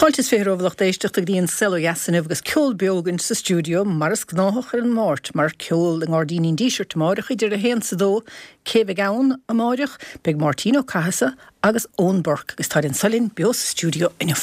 Fáilte is 20 romhaibh a lucht éisteachta go dtí An Saol Ó Dheas inniu agus ceol beo againn sa stiúideo mar is gnáthach ar an Máirt mar ceol i nGairdíní an Dísirt amáireach idir a haon 's a dó. Cé bheidh ann amáireach? Beidh Máirtín Ó Cathasaigh agus Eoin Burke agus táid anso linn beo sa stiúideo inniu.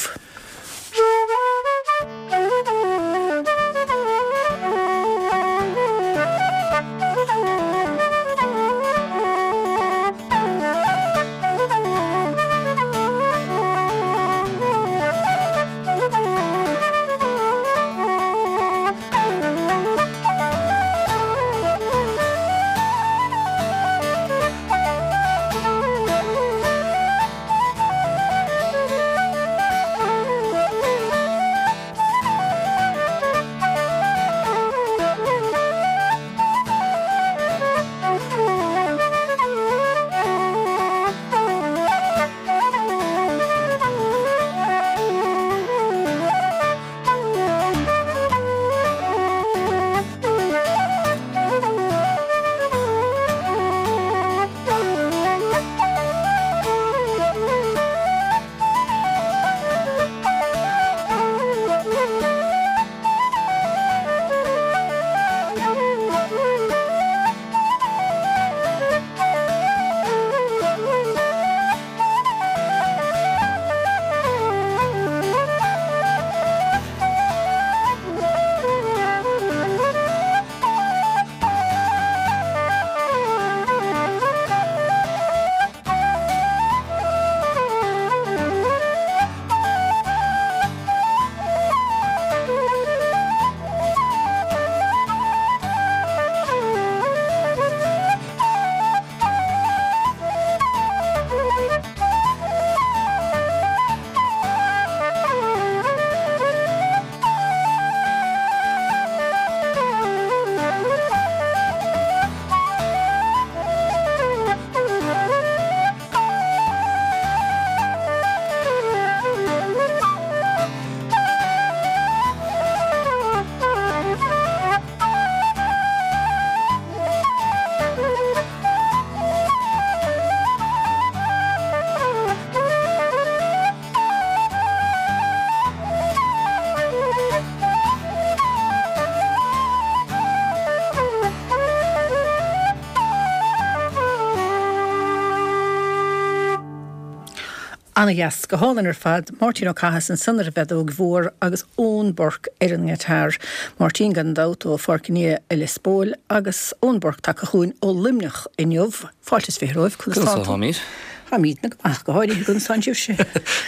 Ana-dheas, go hálainn ar fad. Máirtín Ó Cathasaigh ansan ar an bhfeadóg mhór agus Eoin Burke ar an ngiotár. Máirtín gan dabht ó Pháirc an Fhia i Lios Póil agus Eoin Burke tagtha chugainn ó Luimneach inniu. Fáilte is 20 romhaibh, conas tá tú? Conas táimid? Táimidne go maith, go háirithe conas tánn sibhse.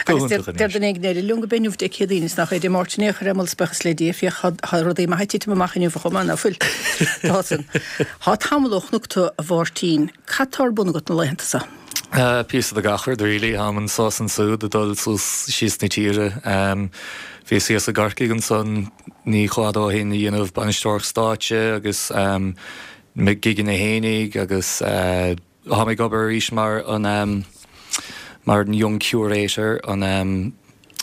Go hiontach anois. Deir duine éigin eile liom go b'é inniu Dé Céadaoin is nach é Dé Máirt in aon chor é, moladh 's buíochas le Dia, féach tá rudaí maithe ag titim amach inniu chomh maith, ná fuil? Tá san. Tá tamall ó chonac tú a Mháirtín, cad tá ar bun agat na laethanta so? Píosa de gach rud really, táim anso is ansúd ag dul suas síos na tíre. Bhíos thíos i gCorcaigh ansan ní chomh fhada ó shin a dhéanamh bainisteoireacht stáitse agus mo gigeanna fhéinig agus táim ag obair arís mar an mar an Young Curator, an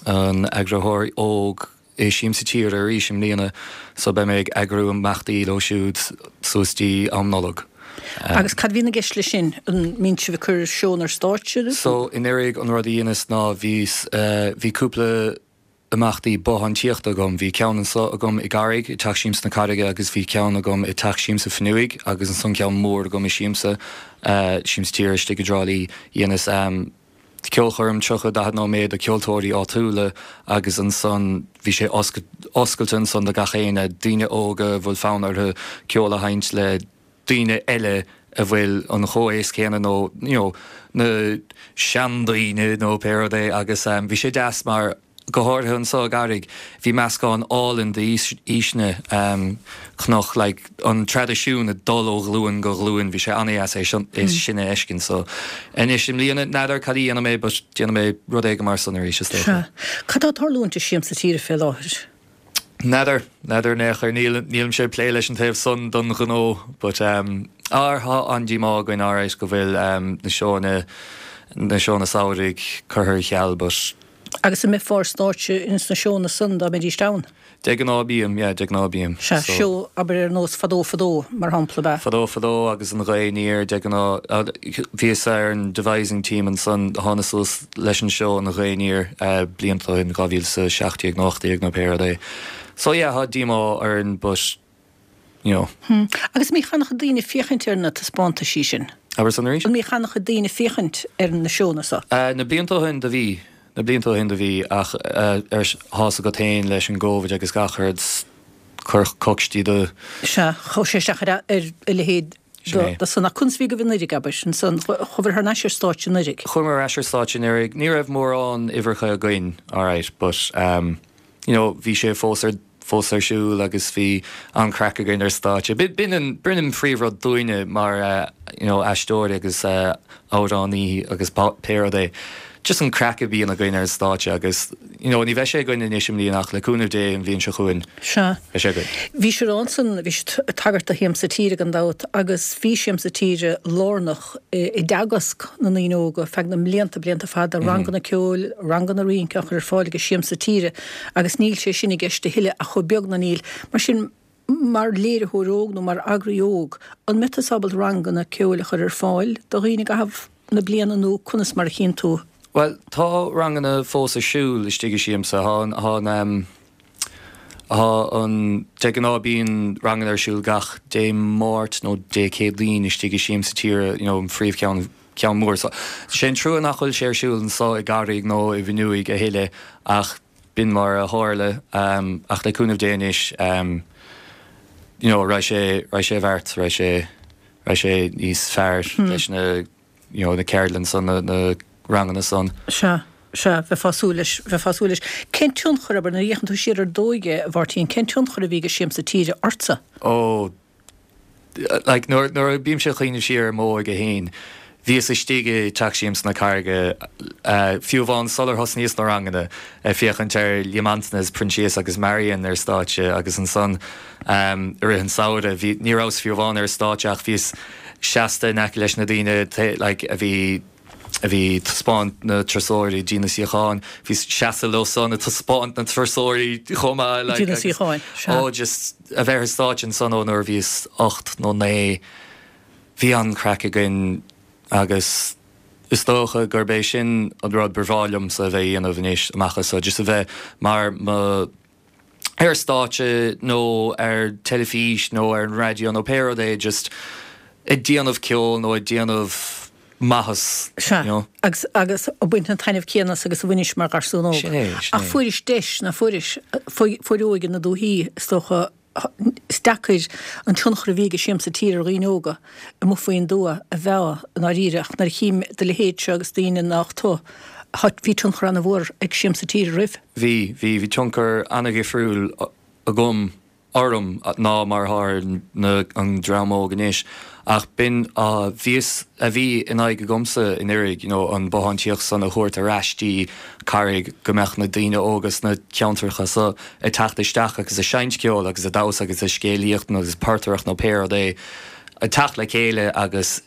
an eagraitheoir óg i Siamsa Tíre arís i mbliana so beidh mé ag eagrú imeachtaí leo siúd suas dtí am Nollag. Agus cad a bhíonn i gceist leis sin? An mbíonn sibh ag cur seónna ar stáitse? So anuraidh an rud a dheineas ná bhíos, bhí cúpla imeachtaí bothántíochta agam. Bhí ceann anso agam i gCarraig, i dTeach Siamsa na Carraige agus bhí ceann agam i dTeach Siamsa Fionnuaidh agus ansan ceann mór agam i Siamsa, Siamsa Tíre istigh i dTrá Lí. Dheineas ceolchoirm 30, 40 nóiméad do ceoltóirí áitiúla agus ansan bhí sé oscailte ansan do gach éinne, daoine óga a bhfuil fonn orthu ceol a sheinnt le daoine eile a bhfuil an chomhaois céanna nó you know na seandaoine nó pé rud é agus bhí sé deas mar go háirithe anso i gCarraig bhí meascán álainn d'aoiseanna chonac like an traidisiún ag dul ó ghlúin go glúin bhí sé an-dheas é sin a fheiscint so anois i mbliana n'fheadar cad a dhéanfaidh mé but déanfaidh mé rud éigin mar san arís is dócha. Sea. Cad tá ag tarlúint i Siamsa Tíre fé láthair? N'fheadar, n'fheadar in aon chor, níl, nílimse ag plé leis an taobh san don ghnó but ar, tá an-díomá againn alright go bhfuil na seónna, na seónna samhraidh curtha ar ceal but. Agus an mbeifeá ar stáitse ins na seónna san dá mbeidíst ann? De ghnáth bím, yeah, de ghnáth bím. Sea, So. seó, abair ar nós Fadó Fadó, mar shampla, ab ea? Fadó Fadó agus An Ghaoth Aniar, de ghnáth. Bhíos ar an devising team ansan a tháinig suas leis an seó An Ghaoth Aniar blianta ó shin, 2017 nó 18 nó pé rud é. So yeah, tá díomá orainn but you know. Hm. Agus an mbíodh an-chuid daoine féachaint ar na taispeántaisí sin? Abair san arís? An mbíodh an-chuid daoine féachaint ar na seónna so? Na blianta ó shin do bhí. Na blianta ó shin do bhí ach ar thá's agat féin leis an gCovid agus gach rud chuir coicstí do. Sea, chuir sé isteach ar a leithéid de san. Ach conas a bhí agaibh anuiridh, abair, ansan? Chuabhair thar n-ais ar stáitse anuiridh? Chuamar ar ais ar stáitse anuiridh. Ní raibh mórán uimhreacha againn, alright, but you know bhí sé fós ar fós ar siúl agus bhí an-chraic againn ar stáitse. B'in an, b'in an phríomhrud dúinne mar you know aisteoirí agus amhránaí agus pé rud é. Just an craic a bhíonn againn ar an stáitse agus you know ní bheidh sé againn anois i mbliana ach le cúnamh Dé an bhliain seo chugainn Sea. beidh sé againn. Bhís ag rá ansan, bhís ag tagairt do Shiamsa Tíre gan dabht agus bhí Siamsa Tíre lárnach i dteagasc na ndaoine óga feadh na mblianta, blianta fada, ranganna ceoil, ranganna rince á chur ar fáil ag Siamsa Tíre agus níl sé sin i gceist a thuilleadh ach chomh beag ná níl. Mar sin, mar léiritheoir óg nó mar eagraí óg, an mbeidh tusa ábalta ranganna ceoil a chur ar fáil do dhaoine i gcaitheamh na bliana nó conas mar a chíonn tú? Bhuel, tá ranganna fós ar siúl istigh i Siamsa. Tá an, tá an, tá an, de ghnáth bíonn ranganna ar siúl gach Dé Máirt nó Dé Céadaoin istigh i Siamsa Tíre, you know, an phríomhcheann, ceann mór. So, sé an trua nach bhfuil sé ar siúl anso i gCarraig nó i bhFionnuaigh a thuilleadh ach b'in mar a tharla. Ach le cúnamh Dé anois, you know, raghaidh sé, raghaidh sé i bhfeart, raghaidh sé, raghaidh sé níos fearr leis na, you know, na ceardlann san, na, na ranganna san. Sea, sea, bheifeá ag súil leis, bheifeá ag súil leis. Cén tionchar, abair, nuair a fhéachann tú siar ar d'óige, a Mháirtín, cén tionchar a bhí ag Siamsa Tíre ortsa? Ó, like, nuair, nuair a bímse ag cuimhneamh siar ar m'óige fhéin, bhíos istigh i dTeach Siamsa na Carraige, fiú amháin sular thosnaíos na ranganna, ag féachaint ar Liam Antaine is Proinsias agus Marion ar stáitse agus ansan i rith an samhraidh, bhí, ní rabhas fiú amháin ar stáitse ach bhíos seasta in aice leis na daoine like a bhí, a bhí ag taispeáint na turasóirí dtí na suíocháin, bhíos seasta leo san ag taispeáint na turasóirí chomh maith like Dtí na suíocháin, sea. Oh just a bheith ar stáitse ansan ó nuair a bhíos 8 nó 9, bhí an-chraic againn agus is dócha gurb é sin an rud ba bhreá liomsa a bheith a dhéanamh anois amach as so, just a bheith mar mo ar stáitse nó ar teilifís nó ar an raidió nó pé rud é just ag déanamh ceoil nó ag déanamh maitheas, Sea, you know. agus, agus ag baint an taitneamh céanna as agus a bhainis mar gharsún óg. Sin é, sin Ach é. fuairis deis, ná fuairis, fuair óige na dúthaí, is dócha, is deacair an tionchar a bhí ag Siamsa Tíre ar dhaoine óga amuigh faoin dtuath a mheá i ndáiríre ach nuair a chím do leithéidse agus daoine nach tú, bhí tionchar ana-mhór ag Siamsa Tíre oraibh. Bhí, bhí, bhí tionchar ana-dhifriúil agam orm ná mar atá ar na, an dream óg anois. Ach b'in a bhíos, a bhí in aghaidh agamsa anuraidh, you know, an bothán tíocht san a thabhairt ar ais dtí Carraig go mbeadh na daoine óga sna ceantracha so ag teacht isteach agus ag seinnt ceoil agus ag damhsa agus ag scéalaíocht nó agus portaireacht nó pé rud é, ag teacht le chéile agus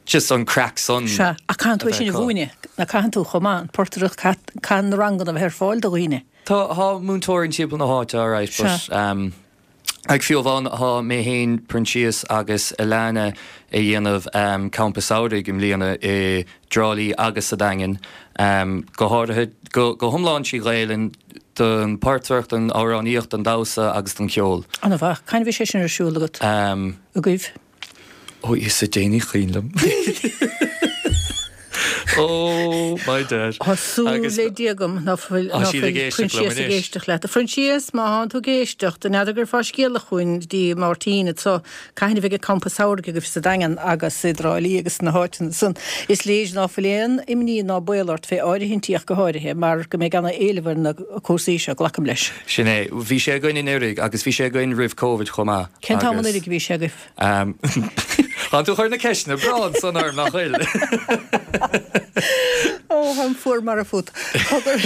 just an craic san Sea, ach caitheann tú é sin a mhúineadh, ná caitheann tú chomh maith, an portaireacht, caitheann na ranganna a bheith ar fáil do dhaoine. Tá, tá múinteoirí timpeall na háite, alright, but um, like fiú amháin tá mé féin, Proinsias agus Alana ag déanamh um, campa samhraidh i mbliana i dTrá Lí agus sa Daingean, um, go háirithe, go, go hiomlán trí Ghaelainn, don portaireacht, don amhránaíocht, don damhsa agus don cheol. An-mhaith. Cathain a bheidh sé sin ar siúl agat? Um, Agaibh? Ó Íosa Dé ní cuimhin liom. Oh my dad. Tá súil le Dia agam ná fuil Tá siad ag éisteacht liom Proinsias ag anois. éisteacht leat. A Phroinsias, má thánn tú ag éisteacht, an n'fheadar an gcuirfeá scéala chugainn dtí Máirtín anso, cathain a bheidh an campa samhraidh agaibh sa Daingean agus i dTrá Lí agus sna háiteanna san. Is léir ná fuil aon imní ná baol ort fé áirithintí ach go háirithe, mar go mbeidh ana éileamh ar na cúrsaí seo, glacaim leis. Sin é. Bhí sé againn anuraidh agus bhí sé againn roimh Covid chomh maith Cén t-am agus. anuraidh a bhí sé agaibh? Tá tú ag cur na ceisteanna breá ansan orm, nach bhfuil? Ó, táim fuar marbh fút. Cogar.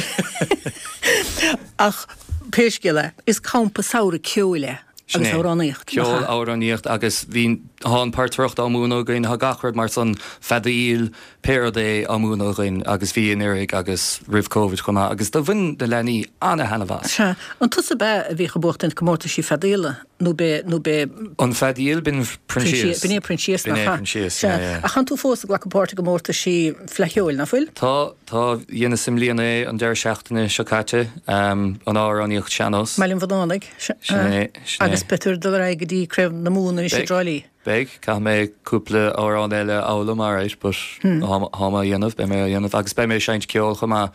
Ach pé scéal é, is campa samhraidh ceoil é Sin agus é. amhránaíocht, nach Ceol, ea? amhránaíocht agus bhí. Tá an portaireacht á múineadh againn, tá gach rud mar san, feadaíl, pé rud é á múineadh againn agus bhí anuraidh agus roimh Covid chomh maith agus do bhain na leanaí ana-thaitneamh as. Sea. An tusa ab ea a bhíodh ag buachtaint comórtaisí feadaíola nó b'é, nó b'é. An feadaíl, b'in Proinsias. B'in é Proinsias, nach ea? B'in é Proinsias, Sea. yeah, yeah. Ach tánn tú fós ag glacadh páirt i gcomórtaisí Fleadh Cheoil, nach bhfuil? Tá, tá. Dheineas i mbliana é an deireadh seachtaine seo caite, an amhránaíocht sean-nós. I mBaile an Bhunánaigh. Sin é, sin é. Agus beidh tú ag dul ar aghaidh go dtí Craobh na Mumhan anois i dTrá Lí. Beidh, caithfidh mé cúpla amhrán eile a fhoghlaim, alright, but tá mé á dhéanamh, beidh mé á dhéanamh agus beidh mé ag seinnt ceoil chomh maith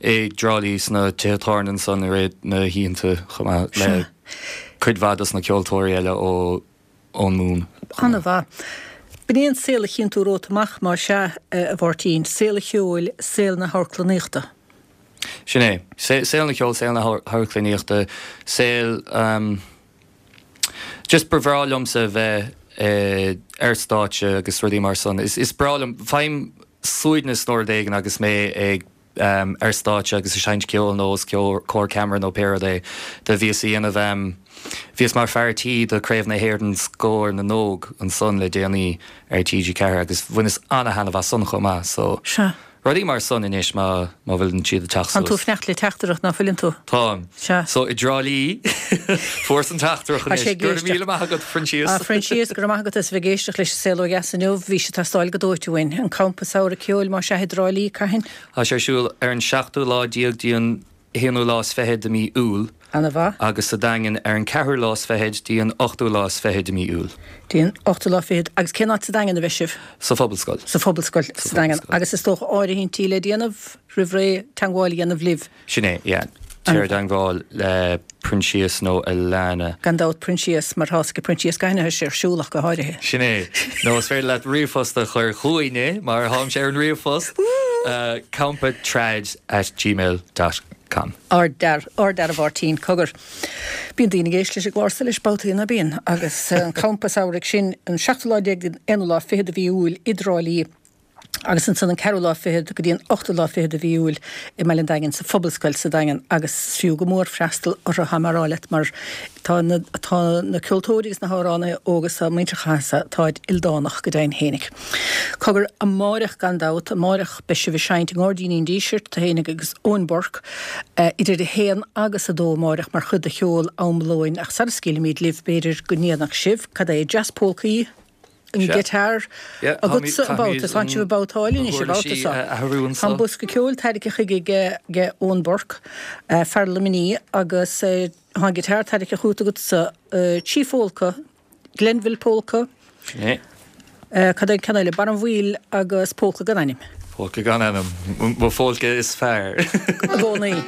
i dTrá Lí sna tithe tábhairne ansan i rith na hoícheanta chomh maith le cuid mhaith dos na ceoltóirí eile ó ón Mumhan. An-mhaith. B'in é an saol a chíonn tú romhat amach, más ea, a Mháirtín, saol an cheoil, saol na hamharclannaíochta. Sin é. Saol na ceoil, saol na hamharclannaíochta, saol, just ba bhreá liomsa bheith ar stáitse agus rudaí mar san. Is breá liom, faighim suaimhneas nó rud éigin agus mé ag ar stáitse agus ag seinnt ceoil nó os comhair ceamara nó pé rud é. Do bhíos a dhéanamh, bhíos mar fear tí do Craobh na hÉireann Scór na nÓg ansan le déanaí ar TG4 agus bhaineas ana-thaitneamh as san chomh maith so Sea. rudaí mar san anois má má bhfuileann siad ag teacht Tánn tú suas. ag fanacht le teachtaireacht ná fuileann tú? Táim. Sea. So i dTrá Lí, fuaireas an teachtaireacht Tá anois. sé ag Go raibh éisteacht. míle maith agat, Proinsias. A Phroinsias, go raibh maith agat as a bheith ag éisteacht leis an Saol Ó Dheas inniu. Bhí sé ag teastáil go dóite uainn. An campa samhraidh ceoil más ea i dTrá Lí, cathain? Tá sé ar siúl ar an seachtú lá déag dtí an haonú lá is fichead de mí Iúil. Ana mhaith. Agus sa Daingean ar an ceathrú lá is fichead dtí an ochtú lá is fichead de mí Iúil. Dtí an ochtú lá fichead. Agus cén áit sa Daingean a bheidh sibh? Sa Phobalscoil. Sa Phobalscoil sa Daingean. Agus is dócha áirithintí le déanamh roimh ré, teangmháil a dhéanamh libh. Sin é, yeah. Téir i dteangmháil le Proinsias nó Alana. Gan dabht Proinsias, mar tá's ag Proinsias cathain atá sé ar siúl ach go háirithe. Sin é. Nó is féidir leat ríomhphost a chur chugainne, mar táimse ar an ríomhphost, campatrad at gmail dot com. Ardfhear, ardfhear a Mháirtín, cogar. Bíonn daoine ag éisteacht leis an gclár so leis babhtaí ná bíonn? Agus an campa samhraidh sin, an seachtú lá déag den aonú lá fichead de mhí Iúil i dTrá Lí, agus ansan an ceathrú lá fichead go dtí an ochtú lá fichead de mhí Iúil i mBaile an Daingin, sa Phobalscoil sa Daingean agus is fiú go mór freastal orthu, tá mé a rá leat, mar tá na, tá na ceoltóirí agus na hamhránaithe óga so, muintir Chathasaigh, táid ildánach go deimhin fhéinig. Cogar, amáireach gan dabht, amáireach beidh sibh ag seinnt i nGairdíní an Dísirt, tú fhéinig agus Eoin Burke, idir a haon agus a dó amáireach mar chuid de cheol am lóin ach sara scaoilfimid libh b'fhéidir go ndéanfadh sibh, cad é, Jazz Polcaí? an guitar agatsa an babhta so, tánn sibh ag babhtáil anois an babhta so. Tá an bosca ceoil tairgthe chuige ag Eoin Burke, fear Luimnigh, agus tá an guitar tairgthe chugat agatsa, Chief Polka, Glenville Polka, cad é an ceann eile, Barra an Mhaoil agus Polka gan ainm. Polka gan ainm, mo pholca is fearr. I gcónaí.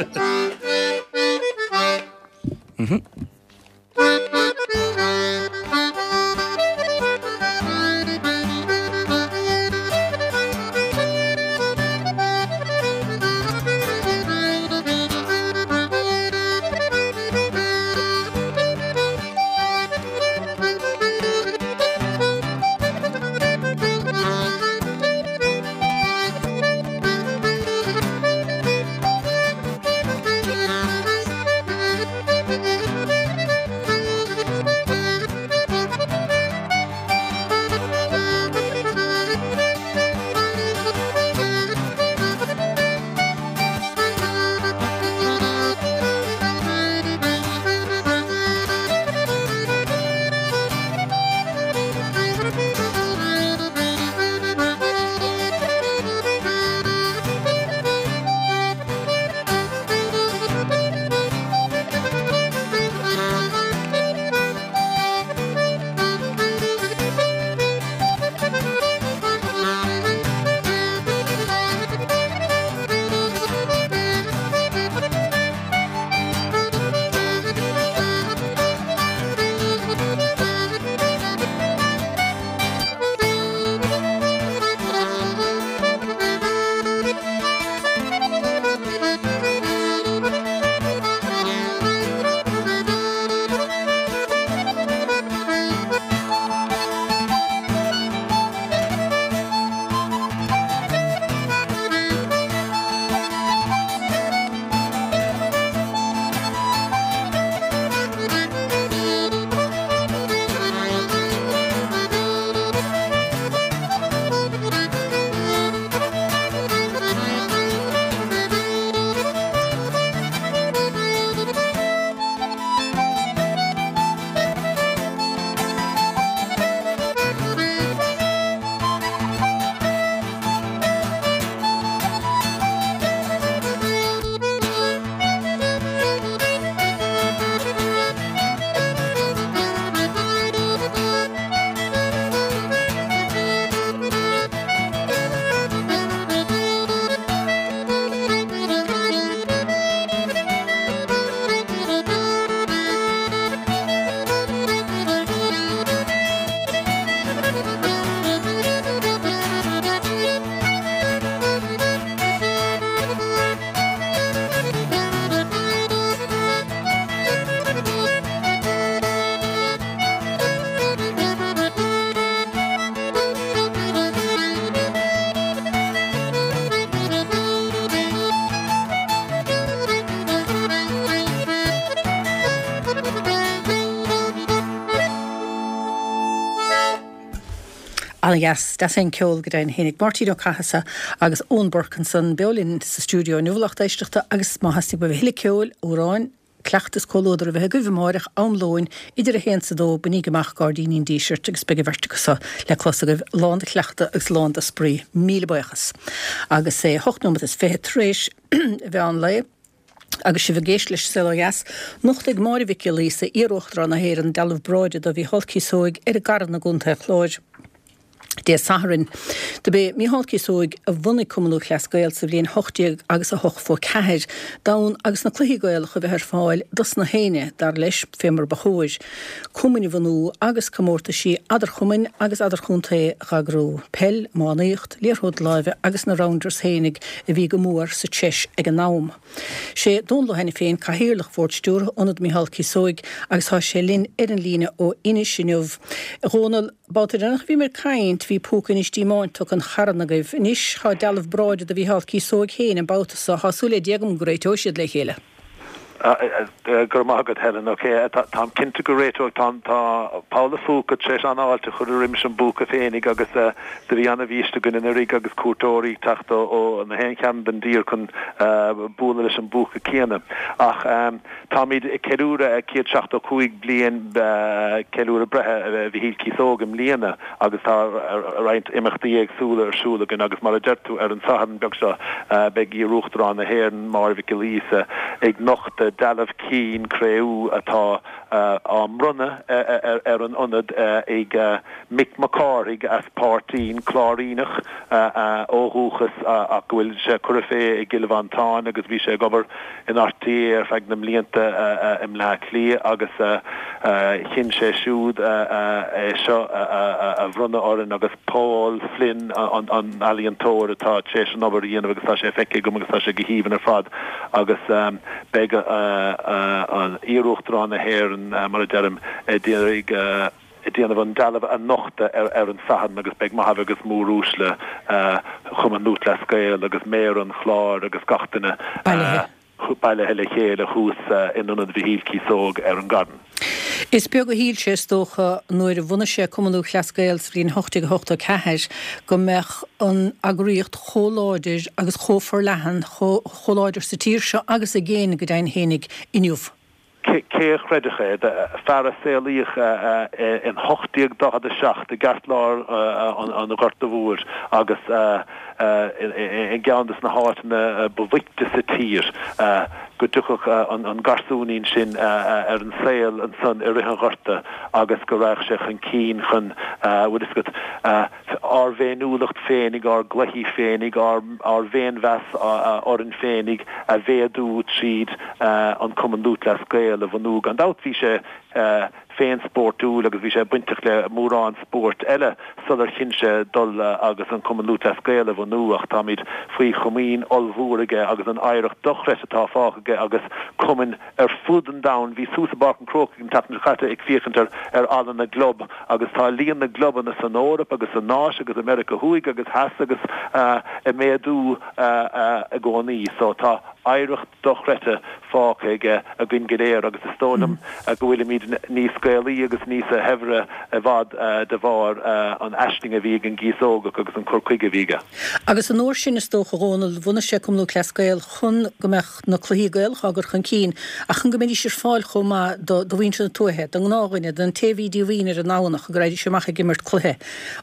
Ana-dheas. Deas é an ceol go deimhin fhéinig. Máirtín Ó Cathasaigh agus Eoin Burke ansan beo linn sa stiúideo inniu a lucht éisteachta agus má theastaíonn uaibh a thuilleadh ceoil, amhráin, cleachtadh is comhluadar a bheith agaibh amáireach am lóin idir a haon 's a dó, bainíg amach Gairdíní an Dísirt agus beidh an bheirt acu so le clos agaibh lán de chleachtadh agus lán de spraoi. Míle buíochas. Agus é hocht nóimeat is fiche tar éis a mheán lae. Agus sibh ag éisteacht leis an Saol Ó Dheas, nochtfaidh Máire Mhic Giolla Íosa, iar-Uachtarán na hÉireann, dealbh bráide do Mhícheál Cíosóig ar an gCarn i gContae an Chláir Dé Sathairn. Dob é Mícheál Cíosóig a bhunaigh Cumann Lúthchleas Gael sa bhliain 18 agus 84, d'fhonn agus na cluichí Gaelacha a bheith ar fáil dos na héinne, dar leis, fé mar ba chóir. Cumainn a bhunú agus comórtaisí eadarchumainn agus eadarchontae dh'eagrú. Peil, iománaíocht, liathróid láimhe agus na rounders fhéinig a bhí go mór sa treis ag an am. Sé Dónal Ó hAiniféin Cathaoirleach Bhord Stiúrtha Ionad Micheál Cíosóig agus tá sé linn ar an líne ó Inis inniu. A Dhónaill, babhta deireanach a bhíomar ag caint bhí Púca Inis Díomáin tugtha chun Charna agaibh. Anois tá dealbh bráide do Mhícheál Cíosóig féin an babhta so. Tá súil le Dia agam go réiteoidh siad le chéile. Go raibh maith agat, Helen. Ok, táim cinnte go réiteoidh. Tá tá Paula Phúca tar éis an-fháilte a chur roimis an bpúca féinig agus do bhí an-bhiaiste againn anuraidh agus cuairteoirí ag teacht ó na haon chearn den dtír chun bualadh leis an bpúca céanna. Ach táimid ag ceiliúradh 175 bliain ceiliúradh breithe Mhichíl Cíosóg i mbliana agus tá roinnt imeachtaí éagsúla ar siúl againn agus mar a deir tú, ar an Satharn beag seo beidh iar-Uachtarán na hÉireann, Máire Mhic Giolla Íosa, ag nochtadh dealbh cinn cré-umha atá á mbronnadh ar an Ionad ag Mick Mac Cárthaigh as Páirtín, Cláiríneach ó dhúchas ach go bhfuil sé curtha fé i gCill Mhantáin agus bhí sé ag obair in RTÉ ar feadh na mblianta i mBleá Cliath agus chinn sé siúd é seo a bhronnadh orainn agus Paul Flynn an t-ealaíontóir atá tar éis an obair a dhéanamh agus tá sé feicthe agam agus tá sé go haoibhinn ar fad agus beidh iar-Uachtarán na hÉireann mar a deirim ag iarraidh ag déanamh an dealbh a nochtadh ar an Satharn agus beidh maithe agus móruaisle Chumann Lúthchleas Gael agus Méara an Chláir agus gach duine bailithe le chéile thuas in Ionad Mhichíl Cíosóg ar an gCarn. Is beag a shíl sé, is dócha, nuair a bhunaigh sé Cumann Lúthchleas Gael sa bhliain 1884 go mbeadh an eagraíocht chomh láidir agus chomh forleathan, chomh láidir sa tír seo agus i gcéin go deimhin fhéinig, inniu. Cé a chreidfeadh é? Fear a saolaíodh in 1847 i gceartlár an Ghorta Mhóir agus i gceann de na háiteanna ba bhoichte sa tír, go dtiocfadh an garsúinín sin ar an saol ansan i rith an Ghorta agus go raghadh sé chun cinn chun, bhfuil fhios agat, ár bhféiniúlacht féinig, ár gcluichí féinig, ár bhféinmheas orainn féinig a mhéadú tríd an Cumann Lúthchleas Gael a bhunú. Gan dabht bhí sé féin spórtúil agus bhí sé bainteach le mórán spóirt eile sular chinn sé dul agus an Cumann Lúthchleas Gael a bhunú ach táimid faoi chomaoin ollmhór aige agus an oidhreacht dochreidte atá fágtha aige agus cumainn ar fud an domhain. Bhíos thuas i bPáirc an Chrócaigh an tseachtain seo caite ag féachaint ar ar Halla na gClub agus tá líon na gclubanna san Eoraip agus san Áis agus i Meiriceá Thuaidh agus Theas agus ag méadú i gcónaí. So tá oidhreacht dochreidte fágtha aige againn go léir agus is dóigh liom go bhfuilimid níos Gaelaí agus níos shaibhre i bhfad de bharr an aisling a bhí ag an gCíosógach agus an cur chuige a bhí aige. Agus an uair sin is dócha, a Dhónaill, bhunaigh sé Cumann Lúthchleas Gael chun go mbeadh na cluichí Gaelacha á gcur chun cinn ach chun go mbeidís ar fáil chomh maith do mhuintir na tuaithe, don ngnáthdhuine, don té a bhí díomhaoin ar an nDomhnach, go raghaidís amach ag imirt cluiche.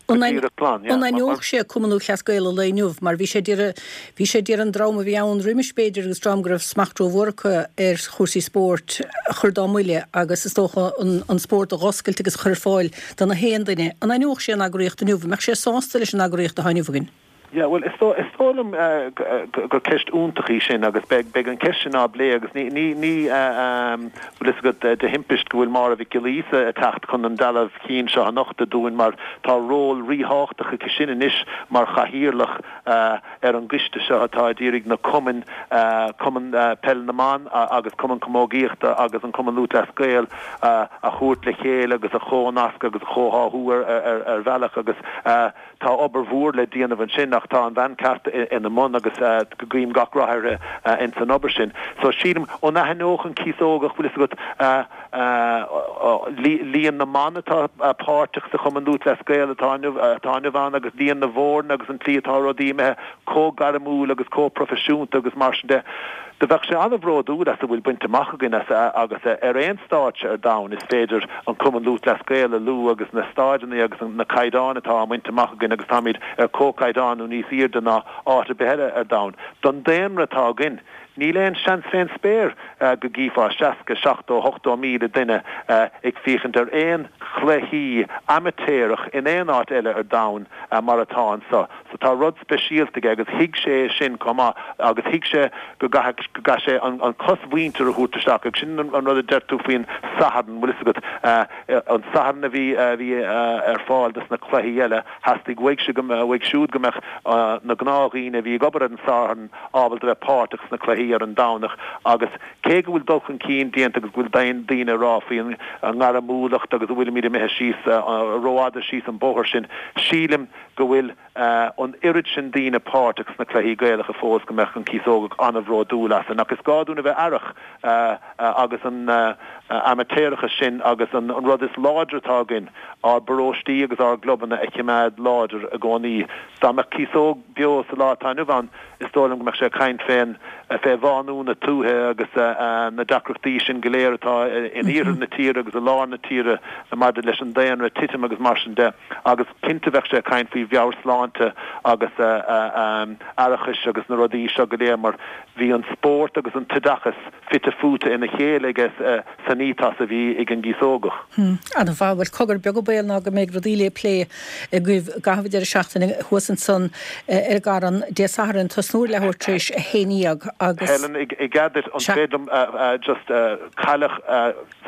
An aithneodh sé Cumann Lúthchleas Gael an lae inniu mar bhí sé d'iarraidh, bhí sé d'iarraidh an dream a bhí ann roimis b'fhéidir agus dream go raibh smacht rómhór acu ar chúrsaí spóirt a chur dá mbuille agus is dócha an spórt a dh'oscailt agus a chur ar fáil do na haon duine. An aithneodh sé an eagraíocht inniu? An mbeadh sé sásta leis an eagraíocht atá inniu againn? Yeah, bhuel, is dóigh, is dóigh liom gur ceist iontach í sin agus beidh, beidh an ceist sin á bplé agus ní, ní, ní, bhfuil fhios agat, de thimpist go bhfuil Máire Mhic Giolla Íosa ag teacht chun an dealbh chinn seo a nochtadh dúinn mar tá ról ríthábhachtach aici sin anois mar chathaoirleach ar an gcoiste seo atá ag iarraidh na cumainn, Cumann Peil na mBan agus Cumann Camógaíochta agus an Cumann Lúthchleas Gael a thabhairt le chéile agus a chomhnascadh agus a chomhtháthú ar, ar, ar bhealach agus. Tá obair mhór le déanamh ansin ach. Ach tá an bhean ceart ina mbun agus go guím gach rath uirthi ins an obair sin. So sílim, ó n-aithneodh an Cíosógach, bhfuil fhios agat, líon na mban atá páirteach sa Chumann Lúthchleas Gael atá inniu atá inniu ann agus líon na bhfoirne agus an tslí atá rudaí imithe chomh gairmiúil agus chomh proifisiúnta agus mar sin de. Do bheadh sé an-bhródúil as a bhfuil bainte amach againn as agus ar aon stáitse ar domhan is féidir an Cumann Lúthchleas Gael a lua agus na staideanna agus na caighdeáin atá á mbaint amach againn agus táimid ar comhchaighdeán nó níos aoirde ná áit ar bith eile ar domhan. Don daonra atá againn, níl aon seans fén spéir go gcífeá 60, 70, 80,000 duine ag féachaint ar aon chluichí amaitéarach in aon áit eile ar domhan mar atá anso. So tá rud speisialta aige agus thuig sé é sin chomh maith agus thuig sé go gcaithfidh, go gcaithfidh sé an chosmhuintir a thabhairt isteach agus sin an rud a deir tú faoin Satharn, bhfuil fhios agat, an Satharn a bhí, a bhí ar fáil dos na cluichí eile, theastaigh uaidh go, uaidh siúd go mbeadh na gnáthdhaoine a bhí ag obair ar an Satharn ábalta bheith páirteach sna cluichí ar an Domhnach agus cé go bhfuil dul chun cinn déanta agus go bhfuil daoine ag rá faoin ngairmiúlacht agus go bhfuilimid imithe síos, rófhada síos an bóthar sin, sílim go bhfuil an oiread sin daoine páirteach sna cluichí Gaelacha fós go mbeadh an Cíosógach an-bhródúil asainn. Ach is gá dúinn a bheith aireach agus an amaitéarachas sin agus an rud is láidre atá againn, ár bparóistí agus ár gclubanna a chimeád láidir i gcónaí. Dá mbeadh Cíosóg beo sa lá atá inniu ann, is dóigh liom go mbeadh sé ag caint fén, fé bhánú na tuaithe agus na deacrachtaí sin go léir atá in iarthar na tíre agus i lár na tíre maidir leis an daonra ag titim agus mar sin de. Agus cinnte bheadh sé ag caint faoi mheabhairshláinte agus aireachais agus na rudaí seo go léir mar bhí an spórt agus an t-oideachas fite fuaite ina chéile aige san ethos a bhí ag an gCíosógach. Ana mhaith. Bhuel, cogar beag an baol ná go mbeidh rudaí le plé agaibh i gcaitheamh an deireadh seachtaine thuas ansan ar an gCarn Dé Sathairn, tosnú ar leathuair tar éis a haon dhéag agus. Helen, i gcead duit, an féidir liom just cailleadh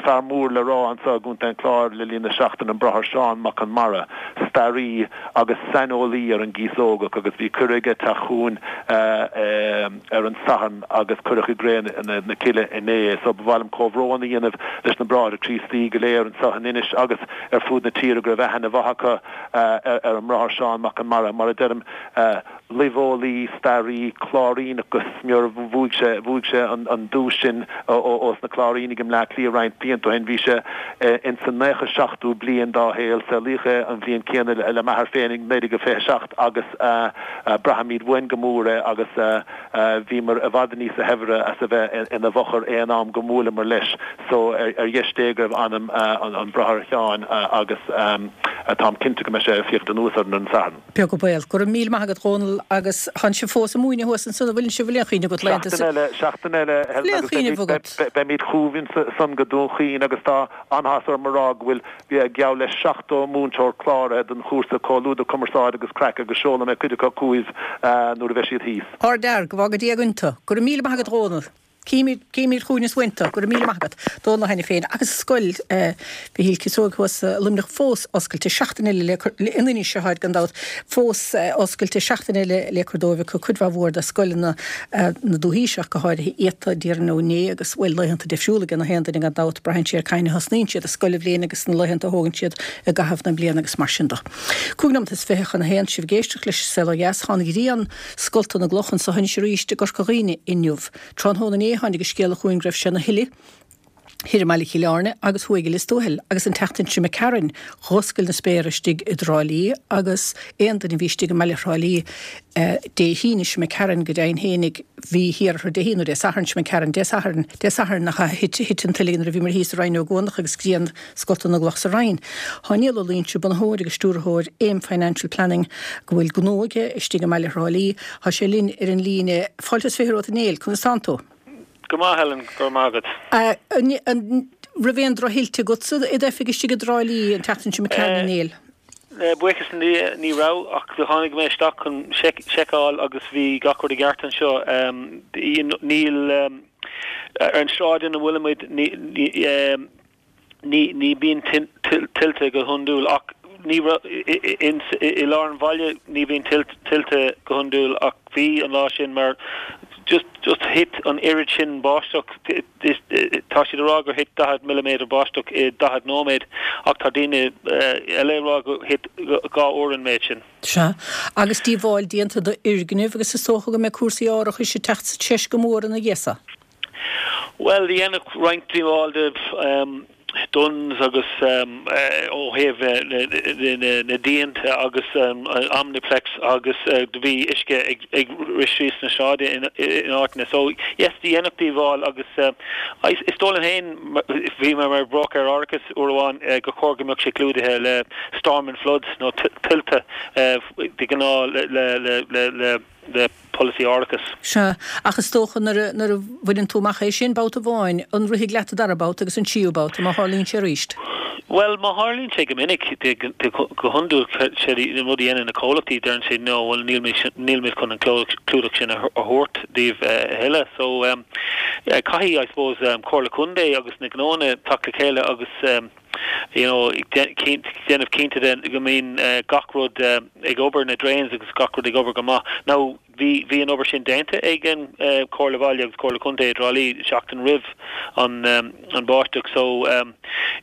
Fear mór le rá anseo i gContae an Chláir le linn na seachtaine, an Bráthair Seán Mac Con Mara, staraí agus saineolaí ar an gCíosógach agus bhí cuireadh aige teacht chugainn ar an Satharn agus cuireadh i gcré na cille inné é. So ba mhaith liom comhbhrón a dhéanamh leis na Bráithre Críostaí go léir anseo in Inis agus ar fud na tíre go raibh aithne mhaith acu ar an mBráthair Seán Mac Con Mara. Mar a deirim, luibheolaí, staraí, Cláiríneach go smior. Bhuaigh sé, bhuaigh sé an duais sin ós na Cláirínigh i mBleá Cliath roinnt blianta ó shin. Bhí sé ins an 97ú bliain dá shaol. Saolaíodh é an bhliain céanna le m'athair féin, 1927, agus braithimid uainn go mór é agus bhíomar i bhfad níosa shaibhre as a bheith ina bhfochair aon am go mbuaileamar leis. So ar dheis Dé go raibh anam an Bhráthair Sheáin agus táim cinnte go mbeidh sé ag féachaint anuas orainn ar an Satharn. Beag an baol. Go raibh míle maith agat Dhónall agus tánn sibh fós ag múineadh thuas ansan an bhfuileann sibh bhfuil aon chuimhne agat laethanta Seachtain eile, seachtain eile Helen agus beimid, beimid chugaibh ansan go Dún Chaoin agus tá an-áthas orm a rá go bhfuil geall le 70 múinteoir cláraithe don chúrsa Comhluadar Cumarsáide agus Craic agus seolfaidh mé cuid acu chugaibh nuair a bheidh siad thíos. Ardfhear, go bhfága Dia againn tú. Go raibh míle maith agat Dhónall. Címid, címid chugainn is uainn tú. Go raibh míle maith agat. Dónal Ó hAiniféin agus Scoil Mhichíl Cíosóig thuas i Luimneach fós oscailte seachtain eile le cur, in Inis atáid gan dabht, fós oscailte seachtain eile le cur dóibh acu, cuid mhaith mhór de scoileanna na dúthaí ach go háirithe iata, déarfainn ó inné agus, bhuel, laethanta difriúla ag na haon duine gan dabht, braitheann sé ar cathain a thosnaíonn siad a scoilbhliain agus na laethanta a thógann siad i gcaitheamh na bliana agus mar sin de. Cúig nóiméad is 21 sibh ag éisteacht leis an Saol Ó Dheas. Tá an ghrian scolta na gcloch anso anois arís i gCorca Dhuibhne inniu. Tráthnóna inné tháinig an scéala chugainn go raibh sé ina thuile thoir i mbaile Chill Airne agus thuaidh i Lios Tuathail agus an tseachtain seo imigh tharainn dh'oscail na spéartha istigh i dTrá Lí agus aon duine a bhí istigh i mbaile Thrá Lí Dé hAoine seo imigh tharainn go deimhin fhéinig bhí thiar orthu Dé hAoine nó Dé Sathairn seo imigh tharainn Dé Sathairn Dé Sathairn nach ea thit thit an tuile nuair a bhíomar thíos i Rinn Ó gCuanach agus grian scolta na gcloch sa Rinn. Tá Niall Ó Loingsigh, bunaitheoir agus stiúrthóir Aim Financial Planning, go bhfuil gnó aige istigh i mbaile Thrá Lí. Tá sé linn ar an líne. Fáilte is 20 romhat a Néill, conas tánn tú? Go maith, Helen, go raibh maith agat. An raibh aon drochthuilte agatsa i d'oifig istigh i dTrá Lí an tseachtain seo imigh tharainn, a Néill? Buíochas le Dia ní raibh, ach do tháinig mé isteach chun seiceáil agus bhí gach rud i gceart anseo. Níl, ar an sráid ina bhfuilimid, ní ní bíonn tuilte go hiondúil ach ní i lár an bhaile ní bhíonn tuilte go hiondúil ach bhí an lá sin mar just just thit an oiread sin báisteach. Tá siad ag rá gur thit 40 milliméadar báisteach i 40 nóiméad ach tá daoine eile ag rá gur thit 2 uair an méid sin. Sea. Agus díobháil déanta d'fhoirgnimh agus is dócha go mbeidh cúrsaí árachais ag teacht sa treis go mór ina dhiaidh so. Bhuel, dhéanadh roinnt díobháil do Dunnes agus ó thaobh na díonta agus Omniplex agus do bhí uisce ag rith síos na sráide in áiteanna. So, yes, dhéanadh díobháil agus is dóigh liom féin, bhí mé mar bhróicéir árachais uair amháin, gur chóir go mbeadh sé clúdaithe le storm and floods nó tuilte de ghnáth le le polasaí árachais. Sea, ach is dócha nuair a, nuair a bhaineann tú amach é sin babhta amháin, an rithfidh leat an dara babhta agus an tríú babhta, má tharlaíonn sé arís? Bhuel, má tharlaíonn sé go minic, de, de, go hiondúil, sé an rud a dhéanann na comhlachtaí, deireann siad no, bhuel níl mé, níl muid chun an clúdach sin a thabhairt daoibh a thuilleadh. So, caithfidh, I suppose, Comhairle Contae agus na gnóanna teacht le chéile agus, you know, déanamh cinnte de go mbíonn gach rud ag obair, na drains agus gach rud ag obair go maith. Now, bhí, bhí an obair sin déanta ag an Comhairle Bhaile agus Comhairle Contae i dTrá Lí seachtain roimh an, an báisteach so,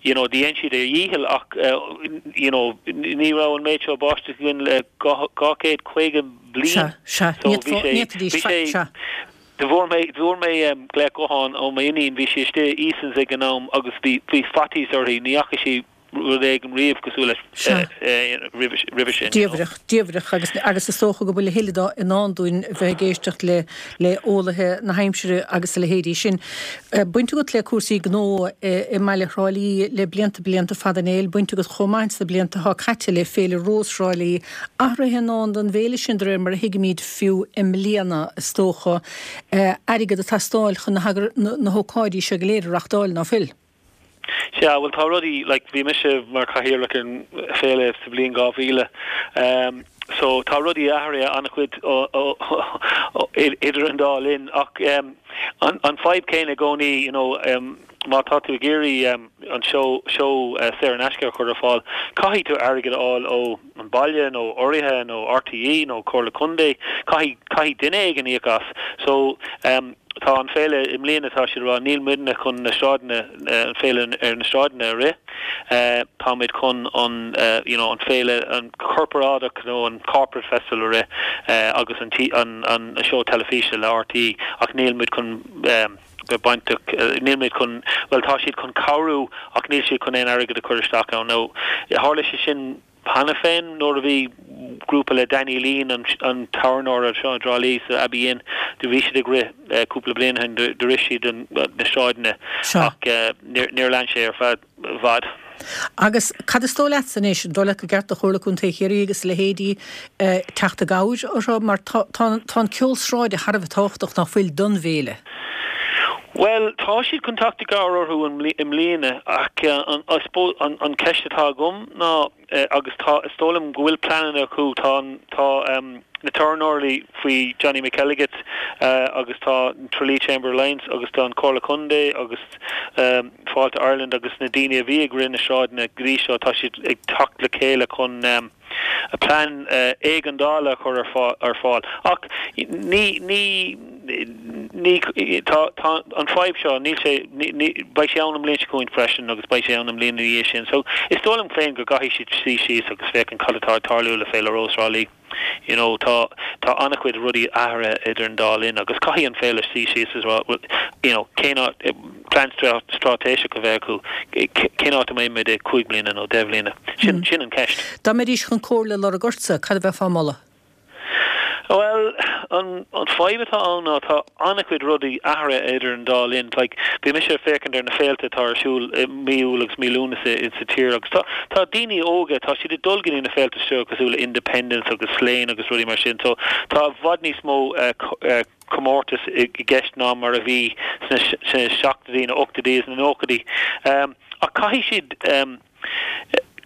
you know, dhein siad a dhícheall ach, you know, ní raibh an méid seo báisteach againn le 250 bliain. Sea, sea, So bhí sé, bhí sé, sea. Do fuair mé, fuair mé glaoch gutháin ó m'iníon, bhí sí istigh i Easons ag an am agus bhí, bhí faitíos uirthi, ní fhaca sí rud éigin riamh cosúil leis Sea. roimhe, roimhe sin, you know. Diamhrach, diamhrach agus, agus is dócha go bhfuil a thuilleadh dó i ndán dúinn a bheith ag éisteacht le, le eolaithe na haimsire agus a leithéidí sin. Baint agat le cúrsaí gnó i, i mbaile Thrá Lí le blianta, blianta fada Néill, baint agat chomh maith sna blianta atá caite le Féile Rós Thrá Lí. Athruithe i ndán don bhféile sin de réir mar a thuigimid. fiú i mbliana, is dócha, airgead ag teastáil chun na hócáidí seo go léir a reachtáil, ná fuil? Sea, bhuel tá rudaí, like, bhí mise mar chathaoirleach ar an féile sa bhliain 2000, um, so tá rudaí athraithe an-chuid idir an dá linn ach um, an, an fadhb céanna i gcónaí, you know, um, má tá tú ag iarraidh um, an seó, seó uh, saor in aisce a chur ar fáil, caithfidh tú airgead a fháil ó an baile nó urraithe nó RTÉ nó Comhairle Contae, caithfidh, caithfidh duine éigin íoc as. So, em, tá an féile i mbliana, tá siad ag rá, níl muidne chun na sráideanna, an féile ar na sráideanna a rith, eh, táimid chun an, eh, you know, an féile, an corparáideach nó an corporate festival a rith, eh, agus an, an, an seó teilifíse le RTÉ ach níl muid chun, em, bheith bainteach, níl muid chun, bhuel tá siad chun cabhrú ach níl siad chun aon airgead a chur isteach ann. Now tharla sé sin cheana féin nuair a bhí grúpa le Danny Leen, an tábhairneoir anseo i dTrá Lí sa Abbey Inn, do bhí siad ag rith cúpla bliain ó shin, do rith siad na sráideanna ach níor lean sé ar feadh. i bhfad. Agus cad is dóigh leatsa anois, an dóigh leat gur ceart do Chomhairle Contae Chiarraí agus a leithéidí teacht i gcabhair orthu mar tá tá tá an ceol sráide thar a bheith tábhachtach nach bhfuil don bhféile? Bhuel, tá siad chun teacht i gcabhair orthu i mbliana ach an I suppose an an ceist atá agam ná agus tá is dóigh liom go bhfuil pleananna acu tá an tá na tábhairneoirí faoi Johnny McElligott agus tá an Tralee Chamber Alliance agus tá an Comhairle Contae agus Fáilte Ireland agus na daoine a bhí ag rith na sráideanna go dtí seo, tá siad ag teacht le chéile chun plean éigeandála a chur ar fáil. Ach ní, ní, ní, tá, tá an fadhb seo, níl sé, ní, beidh sé ann an mbliain seo chugainn freisin agus beidh sé ann an mbliain ina dhiaidh sin. So is dóigh liom féin go gcaithfidh siad suí síos agus féachaint cad atá ag tarlú le Féile Rós Thrá Lí. You know, tá, tá an-chuid rudaí athraithe idir an dá linn agus caithfidh an féile suí síos is rá, well, you know, cén áit, plean straitéiseach a bheith acu, cén áit a mbeidh muid i 5 bliana nó 10 bhliana? Sin, sin an ceist. Dá mbeidís chun comhairle a lorg ortsa, cad a bheifeá a mholadh? Bhuel, an fadhb atá ann ná tá an-chuid rudaí athraithe idir an dá linn. Like, bhí mise ag féachaint ar na féilte atá ar siúl i mí Iúil agus mí Lúnasa insa tír agus tá, tá daoine óga, tá siad ag dul go dtí na féilte seo cosúil le Independence agus Slane agus rudaí mar sin. So, tá i bhfad níos mó comórtas i gceist ná mar a bhí sna, sna seachtóidí, na ochtóidí is na nóchaidí. Ach caithfidh siad,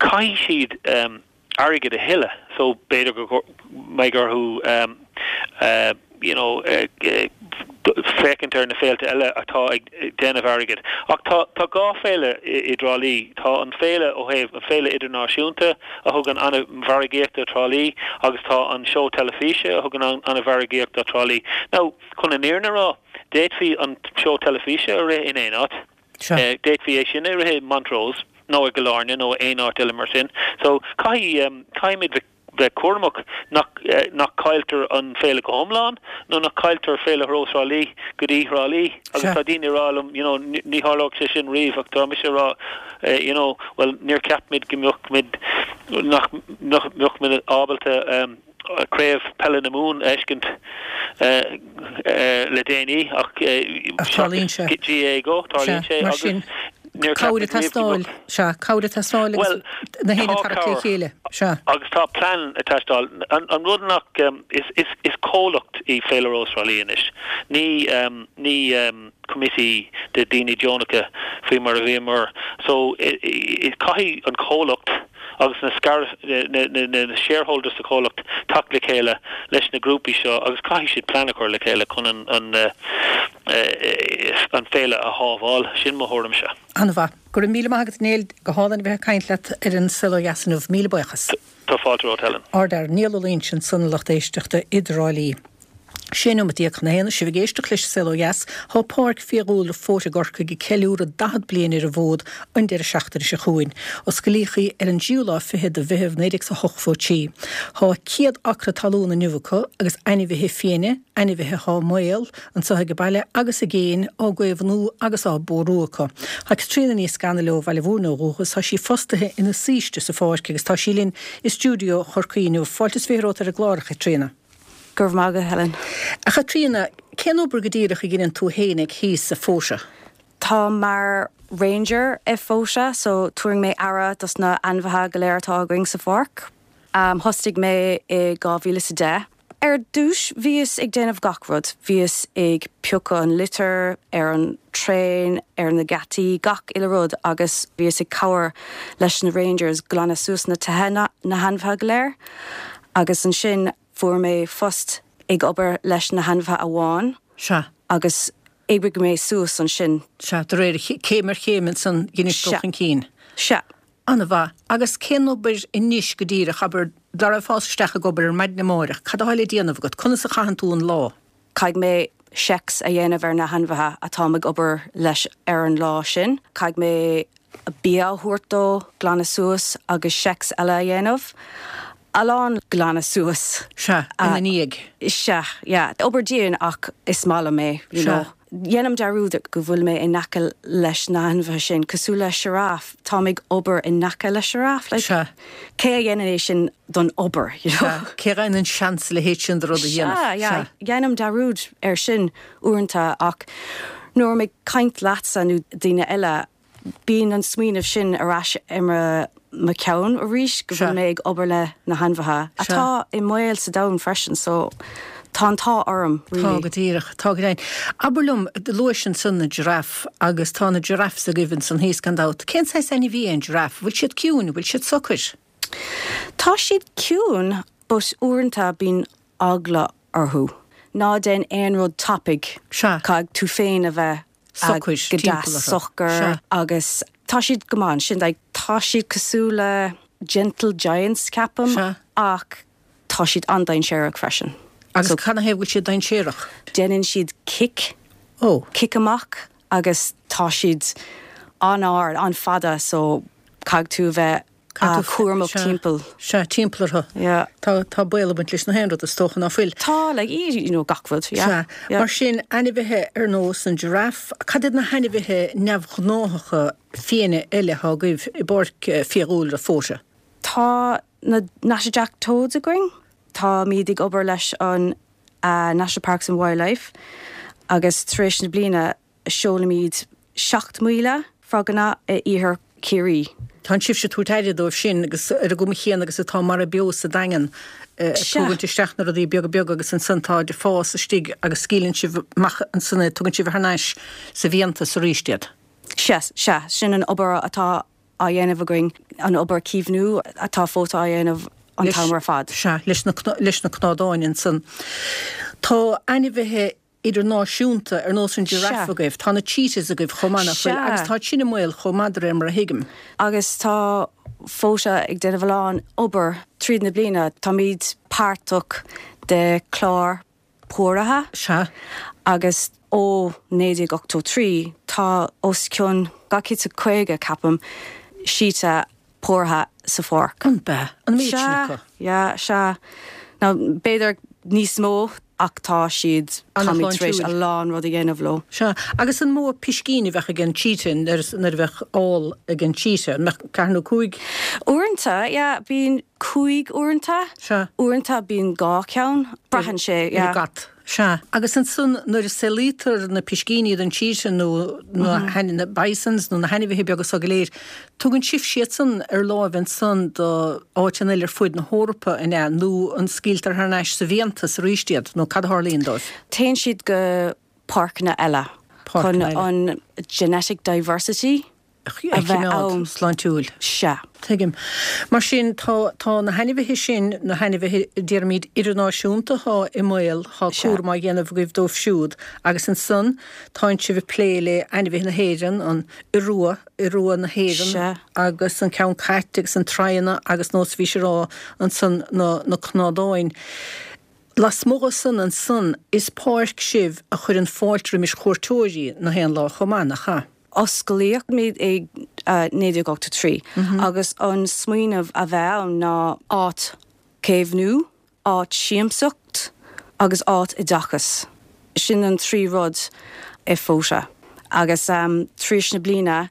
caithfidh siad, airgead a thuilleadh so b'fhéidir go mbeidh orthu you know féachaint ar na féilte eile atá ag déanamh airgid. Ach tá tá dhá féile i dTrá Lí. Tá an féile ó thaobh an féile idirnáisiúnta a thugann an-mhargaíocht do Thrá Lí agus tá an seó teilifíse a thugann an-mhargaíocht do Thrá Lí. Now chun an fhírinne a rá, d'fhéadfaí an seó teilifíse a rith in aon áit. Sea. D'fhéadfaí é sin a rith i Montrose nó i gCill Airne nó aon áit eile mar sin. So caithfidh, caithfimid bheith cúramach nach, nach cailltear an féile go hiomlán nó nach cailltear Féile Rós Thrá Lí go dtí Thrá Lí. Agus tá daoine ag rá liom, you know, ní tharlódh sé sin riamh ach tá mise ag rá, you know, bhuel níor cheap muid go mbeadh muid, nach mbeadh muid ábalta Craobh Peile na Mumhan a fheiscint le déanaí ach tarlaíonn sé. GAA go, tarlaíonn sé agus níor cheap muid riamh go mbeadh. Sea, cabhair ag teastáil agus na héinne ag tarraingt le chéile. Sea. Agus tá plean ag teastáil. An rud nach, is comhlacht í Féile Rós Thrá Lí anois. Ní, ní committee de daoine deonacha faoi mar a bhíomar. So, caithfidh an comhlacht agus na na shareholders sa chomhlacht teacht le chéile leis na grúpaí seo agus caithfidh siad plean a chur le chéile chun an an an féile a shábháil. Sin mo thuairimse. An-mhaith. Go raibh míle maith agat Niall. Go hálainn a bheith ag caint leat ar an Saol Ó Dheas inniu. Míle buíochas. Tá fáilte romhat Helen. Ardfhear Niall Ó Loingsigh ansan a lucht éisteachta i dTrá Lí. 16 nóimeat chun a haon, sibh ag éisteacht leis an Saol Ó Dheas. Tá Páirc Fiadhúlra Fóite i gCorcaigh ag ceiliúradh 40 bliain ar an bhfód an deireadh seachtaine seo chugainn. Osclaíodh í ar an dtríú lá fichead de Mheitheamh 1983. Tá 100 acra talún inniu acu agus ainmhithe fiaine, ainmhithe atá i mbaol, anseo ag baile agus i gcéin, á gcaomhnú agus á bpórú acu. Tá Caitríona Ní Scanaill ó Bhaile Mhúirne ó dhúchas, tá sí fostaithe ina saoiste sa pháirc agus tá sí linn i stiúideo Chorcaí inniu. Fáilte is 20 romhat ar an gclár, a Chaitríona. Go raibh maith agat, Helen. A Chaitríona, cén obair go díreach a dheineann tú fhéinig thíos i Fóta? Táim mar ranger i Fóta so tabhaireann mé aire dos na ainmhithe go léir atá againn sa pháirc. Thosaigh mé i 2010. Ar dtús bhíos ag déanamh gach rud, bhíos ag piocadh an litter ar an traein, ar na geataí, gach uile rud agus bhíos ag cabhair leis na rangers glanadh suas na tithe na hainmhithe go léir. Agus ansin fuair mé phost ag obair leis na hainmhithe amháin. Sea. Agus oibrigh mé suas ansin. Sea, de réir céim ar chéim ansan dheinis dul chun cinn. Sea. An-mhaith. Agus cén obair anois go díreach, abair, dá raghfá isteach ag obair ar maidin amáireach, cad atá le déanamh agat? Conas a chaitheann tú an lá? Caithfidh mé checks a dhéanamh ar na hainmhithe atáim ag obair leis ar an lá sin. Caithfidh mé bia a thabhairt dó, glanadh suas agus checks eile a dhéanamh. A lán glanadh suas. Sea, ina ndiaidh. Sea, yeah. Obair dian ach is maith liom é, you know. Dhéanaim dearúd go bhfuil mé in aice leis na hainmhithe sin, cosúil le giraffe, táim ag obair in aice le giraffe, like. Sea. Cé a dhéanann é sin don obair, you know? Sea, cé a fhaigheann an seans a leithéid sin de rud a dhéanamh? Sea, yeah. Dhéanaim dearúd air sin uaireanta ach nuair atáim ag caint leatsa nó daoine eile, Bíonn an smaoineamh sin ar ais i mo cheann arís go bhfuil mé ag obair le na hainmhithe atá i mbaol sa domhan freisin so tá an t-ádh orm really. Tá go díreach, tá go deimhin. Abair liom, luais ansan na giraffe agus tá na giraffes agaibh ansan thíos gan dabht. Cén saghas ainmhí é an giraffe? Bhfuil siad ciúin? Bhfuil siad socair? Tá siad ciúin but uaireanta bíonn eagla orthu. Ná déan aon rud tapaidh. Sea. Caithfidh tú féin a bheith socair go deas socair agus tá siad go maith ansin like tá siad cosúil le gentle giants ceapaim ach tá siad an-dainséarach freisin. Agus so, cad ina thaobh go bhfuil siad dainséarach? Déanann siad cic, oh. cic amach agus tá siad an-ard, an-fhada so caithfidh tú a bheith cúramach timpeall. Sea, timpeall orthu. Yeah. Tá, tá baol ag baint leis na haon rud, is dócha, ná fuil? Tá, like, you know, gach rud, yeah. Sea. Yeah. Mar sin, ainmhithe ar nós an giraffe, cad iad na hainmhithe neamhghnáthacha fiaine eile atá agaibh i bPáirc Fiadhúlra Fóta? Tá na Natterjack toads againn. Táimid ag obair leis an National Parks and Wildlife agus tar éis na bliana Seolaimid 7,000 froganna i iarthar Chiarraí. Tánn sibhse ag tabhairt aire dóibh sin agus ar an gcuma chéanna agus atá mara beo sa Daingean, ag tógaint isteach na rudaí beaga beaga agus ansan táid ag fás istigh agus scaoileann sibh amach ansan iad, tugann sibh thar n-ais sa bhfiántas arís iad. Sea, sea, sin an obair atá á dhéanamh againn, an obair caomhnú atá Fóta á dhéanamh an t-am ar fad. Sea, leis na, leis na cnádáin ansan. Tá ainmhithe idirnáisiúnta ar nós an giraffe agaibh. Tá na cheetahs agaibh chomh maith, nach bhfuil? Agus tá sin i mbaol chomh maith de réir mar a thuigim. Agus tá Fóta ag déanamh a lán obair tríd na bliana. Táimid páirteach de chlár póraithe. Sea. Agus Ó 1983 tá os cionn 250, ceapaim, síte póraithe sa pháirc. An bea? An méid sin acu? Sea, yeah, sea. Now, b'fhéidir níos mó ach tá siad, táimid tar éis a lán rud a dhéanamh leo. Sea. Agus an mó piscín a bheadh ag an cheetah nuair a bheadh ál ag an cheetah? An mbeadh ceathair nó cúig? Uaireanta, yeah, bíonn cúig uaireanta. Sea. Uaireanta bíonn dhá cheann. Braitheann sé, yeah. Ar an gcat. Sea. Agus ansan nuair a saolaítear na piscíní don cheetah nó na bisons nó na hainmhithe beaga so go léir, tugann sibhse iad san ar láimh ansan do áiteanna eile ar fuaid na hEorpa, an ea? Nó an scaoiltear thar n-ais sa bhfiántas arís iad, nó cad a tharlaíonn dóibh? Téann siad go páirceanna eile chun an genetic diversity a choimeád sláintiúil. Sea. Tuigim. Mar sin, tá, tá na hainmhithe sin, na hainmhithe, déarfaimid, idirnáisiúnta atá i mbaol, tá cúram á dhéanamh agaibh dóibh siúd. Agus ansan, tánn sibh ag plé le ainmhithe na hÉireann, an iorua, iorua na hÉireann, agus an ceann cait agus an traona agus nós a bhís ag rá ansan, na, na cnádáin. Lasmuigh de san ansan, is páirc sibh a chuireann fáilte roimis chuairteoirí na haon lá chomh maith, nach ea? Osclaíodh muid i 1983 agus an smaoineamh a bheith ann ná áit caomhnú, áit siamsacht agus áit oideachas. Sin an trí rud i Fota. Agus tar éis na bliana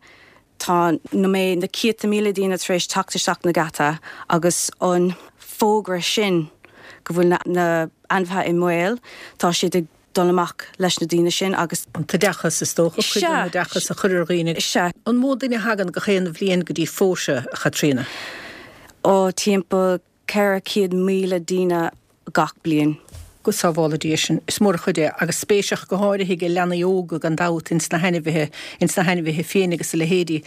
tá na mé na céadta míle daoine tar éis teacht isteach na geata agus an fógra sin go bhfuil na ainmhithe i mbaol, tá siad ag dul amach leis na daoine sin agus. An t-oideachas, is dócha, cuid den oideachas a chur ar dhaoine. Sea. An mó duine a thagann gach aon bhliain go dtí Fota, a Chaitríona? Ó, timpeall 400,000 daoine gach bliain. Go sábhála Dia sinn. Is mór an chuid é, agus spéis ach go háirithe ag leanaí óga gan dabht ins na hainmhithe, ins na hainmhithe fiaine agus a leithéidí.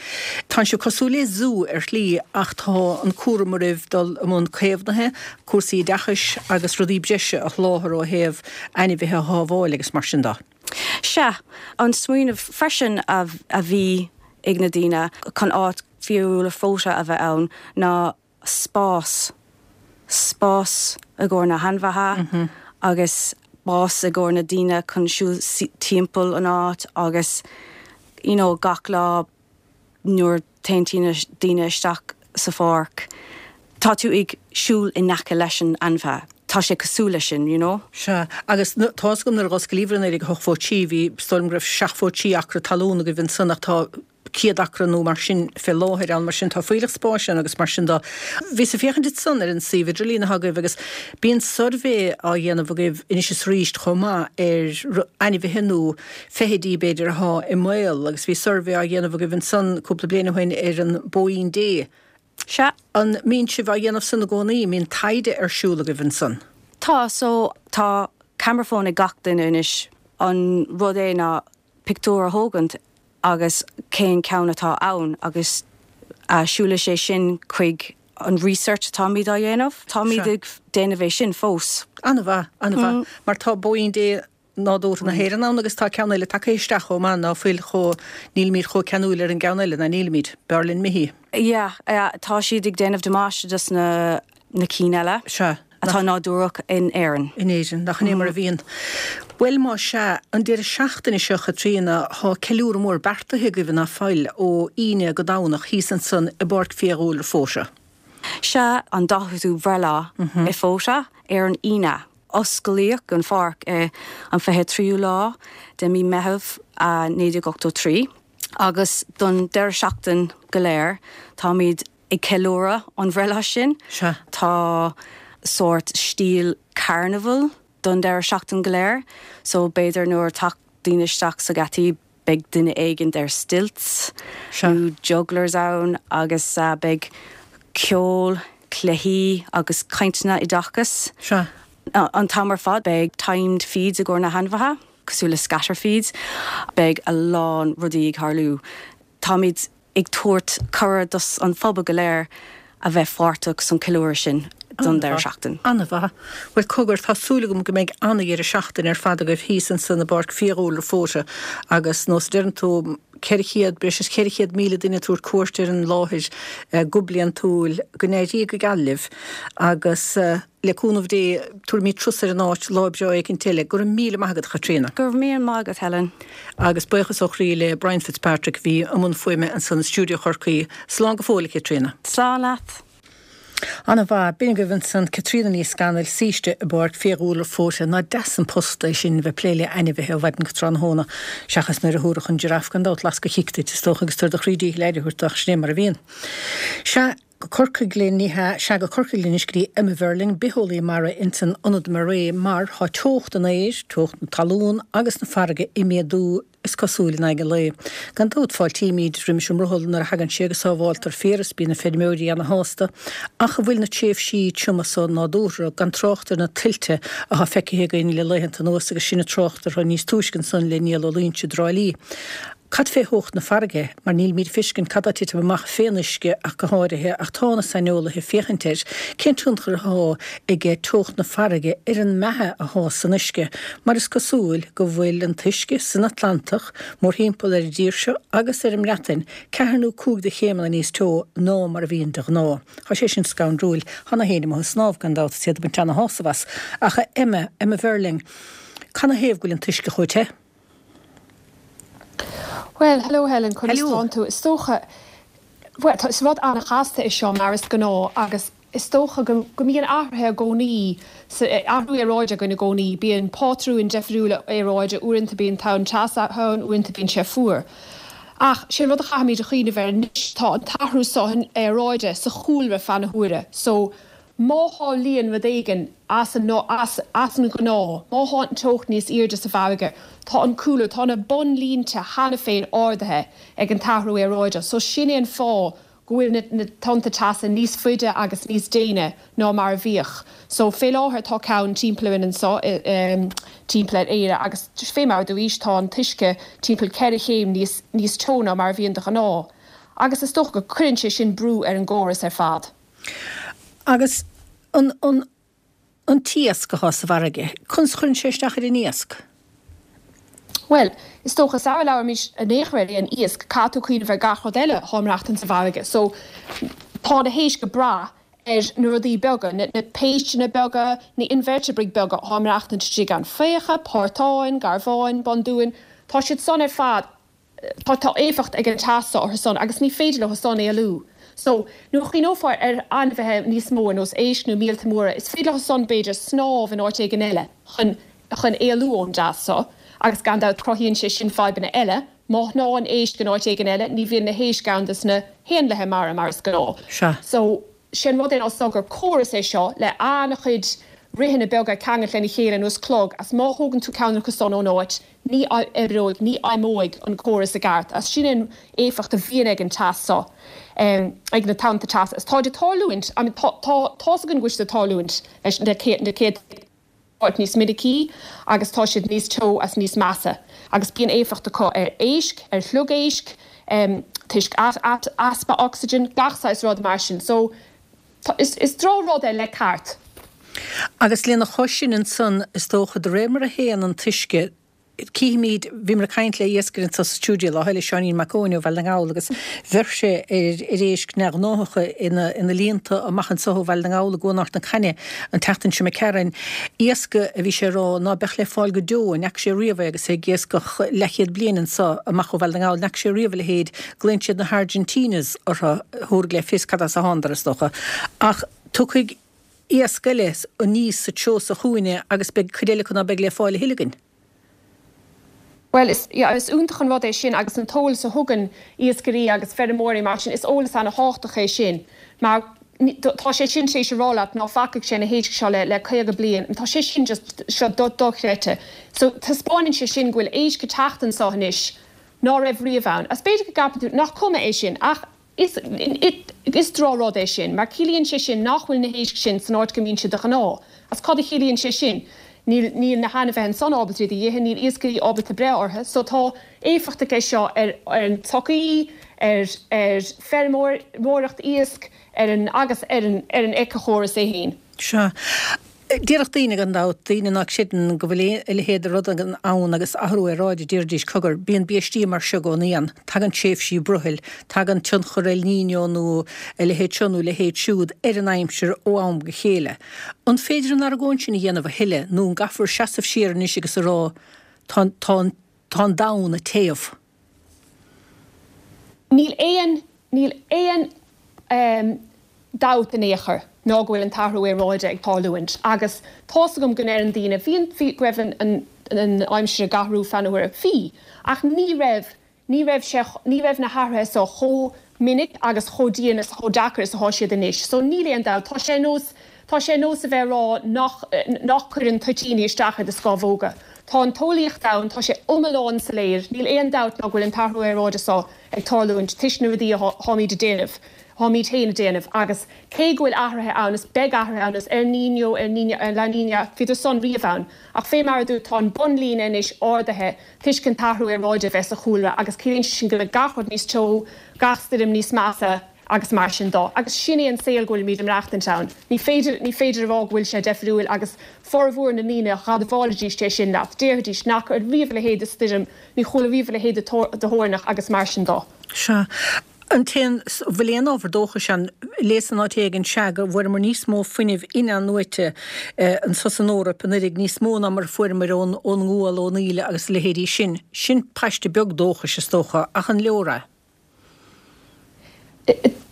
Tánn sibh cosúil le zú ar shlí ach tá an cúram oraibh dul i mbun caomhnaithe, cúrsaí oideachais agus rudaí breise a sholáthar ó thaobh ainmhithe a shábháil agus mar sin de. Sea, an smaoineamh freisin a bhí ag na daoine chun áit fiadhúlra Fota a bheith ann ná spás, spás i gcomhair na hainmhithe agus spás i gcomhair na daoine chun siúl timpeall an áit agus you know gach lá nuair téann daoine isteach sa pháirc, tá tú ag siúl in aice leis an ainmhithe. Tá sé cosúil leis sin, you know. Sea, agus tá's agam nuair a dh'osclaíobhair i 1983, bhí, is dóigh liom go raibh 73 acra talún agaibh ansan ach tá 100 acra nó mar sin fé láthair ann, mar sin tá fuílleach spáis ann agus mar sin de. Bhíos ag féachaint ansan ar an suíomh idirlín atá agaibh agus bíonn suirbhé á dhéanamh agaibh anois is arís chomh maith ar ainmhithe nó feithidí b'fhéidir athá i mbaol agus bhí suirbhé á dhéanamh agaibh ansan cúpla bliain ó shin ar an bpóín Dé. Sea. An mbíonn sibh á dhéanamh san i gcónaí? An mbíonn taighde ar siúl agaibh ansan? Tá, so tá camera phone ag gach duine anois. An rud é ná pictiúr a thógaint agus cén ceann atá ann agus siúlfaidh sé sin chuig an research atáimid á dhéanamh. Táimid ag déanamh é sin fós. An-mhaith, an-mhaith. Mar tá Bóín Dé nádúrtha na hÉireann ann agus tá ceann eile tagtha isteach chomh maith ná fuil chomh, nílimid chomh ceanúil ar an gceann eile, ná nílimid? B'fhearr linn Michí. Yeah, yeah, tá siad ag déanamh damáiste dos na na cinn eile. Sea. Atá nádúrach in Éirinn. In Éirinn, nach in é mar a bhíonn. Bhuel, más ea, an deireadh seachtaine seo, a Chaitríona, tá ceiliúradh mór beartaithe agaibh, ná fuil, ó Aoine go Domhnach thíos ansan i bPáirc Fiadhúlra Fota. Sea, an 40ú breithlá i Fota ar an Aoine. Osclaíodh an pháirc i an 23ú lá de mí Meitheamh 1983 agus don deireadh seachtain go léir táimid ag ceiliúradh an bhreithlá sin. Sea. Tá sórt stíl carnival don deireadh seachtain go léir so b'fhéidir nuair teacht daoine isteach sa geataí beidh duine éigint ar stilts nó jugglers ann agus beidh ceol, cluichí agus cainteanna oideachais an t-am ar fad. Beidh timed feeds i gcomhair na hainmhithe, cosúil le scatter feeds. Beidh a lán rudaí ag tarlú. Táimid ag tabhairt cuireadh dos an phobal go léir a bheith pháirteach san ceiliúradh sin. Don deireadh seachtain. An-mhaith. Bhuel, cogar, tá súil agam go mbeidh an-dheireadh seachtaine ar fad agaibh thíos ansan i bPáirc Fiadhúlra Fota agus nós a deireann tú, 400, breis is 400,000 duine ag tabhairt cuairt ar an láthair go bliantúil. Go n-éirí go geal libh agus le cúnamh Dé tabharfaimid turas ar an áit lá breá éicint eile. Go raibh míle maith agat, a Chaitríona. Go raibh míle maith agat, Helen. Agus buíochas ó chroí le Brian Fitzpatrick a bhí i mbun fuaime ansan i stiúideo Chorcaí. Slán go fóill, a Chaitríona. Slán leat. Ana-mhaith. B'in agaibh ansan Caitríona Ní Scanaill, saoiste i bPáirc Fiadhúlra Fota. Nach deas an post é sin, bheith plé le ainmhithe ó mhaidin go tráthnóna, seachas nuair a thabharfadh an giraffe gan dabht lasc a chic duit, is dócha, agus tú ar do chroí díchill aire a thabhairt dó, ach sin é mar a bhíonn. Sea, go Corcaigh linn, ní hea, sea, go Corcaigh linn anois go dtí Emma Verling, bitheolaí mara ins an Ionad MARAE, mar tá teocht an aeir, teocht na talún agus na farraige ag méadú, is cosúil, in aghaidh an lae. Gan dabht, fáiltímid roimis an mbrothall nuair a thagann sé agus sábháltar féar is bíonn na feirmeoirí ana-shásta, ach an bhfuil na tréimhsí tioma so nádúrtha, gan trácht ar na tuilte athá feicthe againn le laethanta anuas agus sinn ag trácht orthu níos túisce ansan le Niall Ó Loingsigh i dTrá Lí. Cad fé theocht na farraige, mar nílimid ag feiscint cad tá ag titim amach fén uisce ach go háirithe, ach tá na saineolaithe ag féachaint air, cén tionchar athá ag teocht na farraige ar an mbeatha athá san uisce, mar is cosúil go bhfuil an t-uisce san Atlantach, mórthimpeall ar an dtír seo agus ar an mBreatain, ceathair nó cúig de chéimeanna níos teo ná mar a bhíonn de ghnáth. Tá sé sin scanrúil. Tá na héin amuigh ag snámh, gan dabht, is iad ag baint ana-shásamh as. Ach a Emma, Emma Verling, canathaobh go bhfuil an t-uisce chomh te? Bhuel, hello Helen, conas tánn tú? Is dócha, bhuel, tá, is rud an-chasta é seo mar is gnáth agus is dócha go, go mbíonn athruithe i gcónaí, sa, athrú aeráide againn i gcónaí, bíonn pátrúin deifriúla aeráide, uaireanta bíonn tonn teasa ann, uaireanta bíonn sé fuar. Ach sé an rud a chaithfimid a chuimhneamh air anois, tá an t-athrú seo aeráide sa chúlra feadh na huaire, so, Má tharlaíonn rud éigin as an as an ghnáth, má thá an teocht níos airde sa bhfarraige, tá an cúlra, tá na bonnlínte cheana féin ardaithe ag an t-athrú aeráide. So sin é an fáth go bhfuil na na tonnta teasa níos faide agus níos déine ná mar a bhíodh. So fé láthair tá ceann timpeall orainn anso i timpeall ar Éire agus fé mar a dúraís tá an t-uisce timpeall 4 chéim níos níos teo ná mar a bhíonn de ghnáth. Agus is dócha go cuireann sé sin brú ar an gcóras ar fad. Agus an, an, an t-iasc athá sa bhfarraige, conas a chuireann sé isteach ar an iasc? Bhuel, is dócha, sara labhraímís in aon chor ar aon iasc, caithfidh tú cuimhneamh ar gach rud eile athá ag maireachtaint sa bhfarraige. So, tá na héisc ag brath ar na rudaí beaga, na, na péisteanna beaga, na inveirteabraigh beaga athá ag maireachtaint istigh ann, faocha, portáin, garbháin, bundúin, tá siad san ar fad Tá tá éifeacht ag an teas seo orthu san agus ní féidir leo san éalú. So, nuair a chuimhneofá ar ainmhithe níos mó ar nós éisc nó míolta móra, is féidir leo san b'fhéidir snámh in áit éigin eile chun chun éalú ón dteas seo agus gan dabht cruthaíonn sé sin fadhbanna eile. Má shnámhann éisc in áit éigin eile ní bhíonn na héisc ann dos na héanlaithe mara mar is gnáth. Sea. So, sé an rud é ná so gur córas é seo le an-chuid ritheanna beaga ag ceangailt lena chéile ar nós clog as má thógann tú ceann acu san ón áit ní oibreoidh, ní fheidhmeoidh an córas i gceart as sin an éifeacht a bhíonn ag an teas seo, ag na tonnta teasa. Is táid ag tarlúint, I mean tá, tá, tá's againn go bhfuil siad ag tarlúint leis na céadta áit níos minicí agus tá siad níos teo as níos measa agus bíonn éifeacht acu ar éisc, ar shliogaisc, toisc easpa ocsaigin, gach saghas rud mar sin. So, is, is drochrud é le ceart. Agus lena chois sin ansan, is dócha, de réir mar a théann an t-uisce, Cífimid, bhíomar ag caint le iascaire anseo sa stiúideo lá eile, Seáinín Mac Eoin ó Bhaile na nGall agus bheir sé ar ar éisc neamhghnáthacha ina ina líonta amach anseo ó Bhaile na nGall i gCuan Ard na Caithne an tseachtain seo imigh tharainn. Iasc a bhí sé a rá ná beadh le fáil go deo, an bhfaca sé riamh é agus é ag iascach leathchéad bliain anseo amach ó Bhaile na nGall, an bhfaca sé riamh a leithéid, glaonn siad na hArgentinas orthu, thabharfaidh le fios cad as a thánadar is dócha. Ach tiocfaidh iasc eile aníos sa treo seo chugainne agus beidh cuid eile acu ná beidh le fáil a thuilleadh againn. Bhuel, is, yeah, is iontach an rud é sin agus an t-eolas a thugann iascairí agus feirmeoirí mar sin, is eolas ana-thábhachtach é sin mar tá sé sin tar éis a rá leat ná facaigh sé na héisc seo le, le 50 bliain, tá sé sin just, seo dochreidte. So, taispeáineann sé sin go bhfuil éisc ag teacht anseo anois ná raibh riamh ann. Agus b'fhéidir go gceapann tú nach cuma é sin ach, Is is drochrud é sin, mar ciallaíonn sé sin nach bhfuil na héisc sin san áit go mbíonn siad de ghnáth. Agus cad a chiallaíonn sé sin? Níl níl na hainmhithe ansan ábalta iad a dh'ithe, níl iascairí ábalta breith orthu. So tá éifeacht aige seo ar ar an tsochaí, ar ar feirmeoireacht iasc, ar an agus ar an ar an éiceachóras é féin. Sea. Déarfadh daoine, gan dabht, daoine ná creideann go bhfuil a leithéid de rud ann agus athrú aeráide, déarfaidís, cogar, bíonn biaistí mar seo i gcónaí ann, tagann tréimhsí brothaill, tagann tionchar El Niño nó a leithéid seo nó a leithéid siúd ar an aimsir ó am go chéile. An féidir an argóint sin a dhéanamh a thuilleadh nó an gcaithfear seasamh siar anois agus a rá tá, tá an, tá an domhan ag téamh? Níl aon, níl aon dabht in aon chor ná go bhfuil an t-athrú aeráide ag tarlúint agus tá's agam go ndeireann daoine, bhí an, bhí, go raibh an, an, an aimsir ag athrú feadh na huaire. Bhí, ach ní raibh, ní raibh sé, ní raibh na hathruithe so chomh minic agus chomh dian is chomh deacair is atá siad anois. So níl aon dabht, tá sé ar nós, tá sé ar nós a bheith ag rá nach, nach cuireann toitíní isteach ar do scámhóga. Tá an t-eolaíocht ann, tá sé iomlán soiléir, níl aon dabht ná go bhfuil an t-athrú aeráide so ag tarlúint toisc na rudaí a tháimíd ag déanamh, tháimíd féin ag déanamh agus cé go bhfuil athruithe ann is beidh athruithe ann is El Niño, El Niño, La Niña, bhíodar san riamh ann ach fé mar a dúirt tá an bunlíne anois ardaithe toisc an t-athrú aeráide a bheith sa chúlra agus ciallaíonn sé sin go mbeidh gach rud níos teo, gach stoirm níos measa. agus mar sin dó. Agus sin é an saol go bhfuilimid ag maireachtaint ann. Ní féidir, ní féidir a rá go bhfuil sé deifriúil agus formhór na ndaoine dh'admhálfaidís é sin leat. Déarfaidís nach raibh riamh a leithéid de stoirm, ní chuala riamh a leithéid de thoirneach agus mar sin dó. Sea. An t-aon, bhfuil aon ábhar dóchais ann? Léas in áit éigin, sea, go bhfuaireamar níos mó fuinnimh in-athnuaite anso san Eoraip anuraidh, níos mó ná mar a fuaireamar ón, ón ngual, ón íle agus a leithéidí sin. Sin paiste beag dóchais, is dócha, ach an leor é?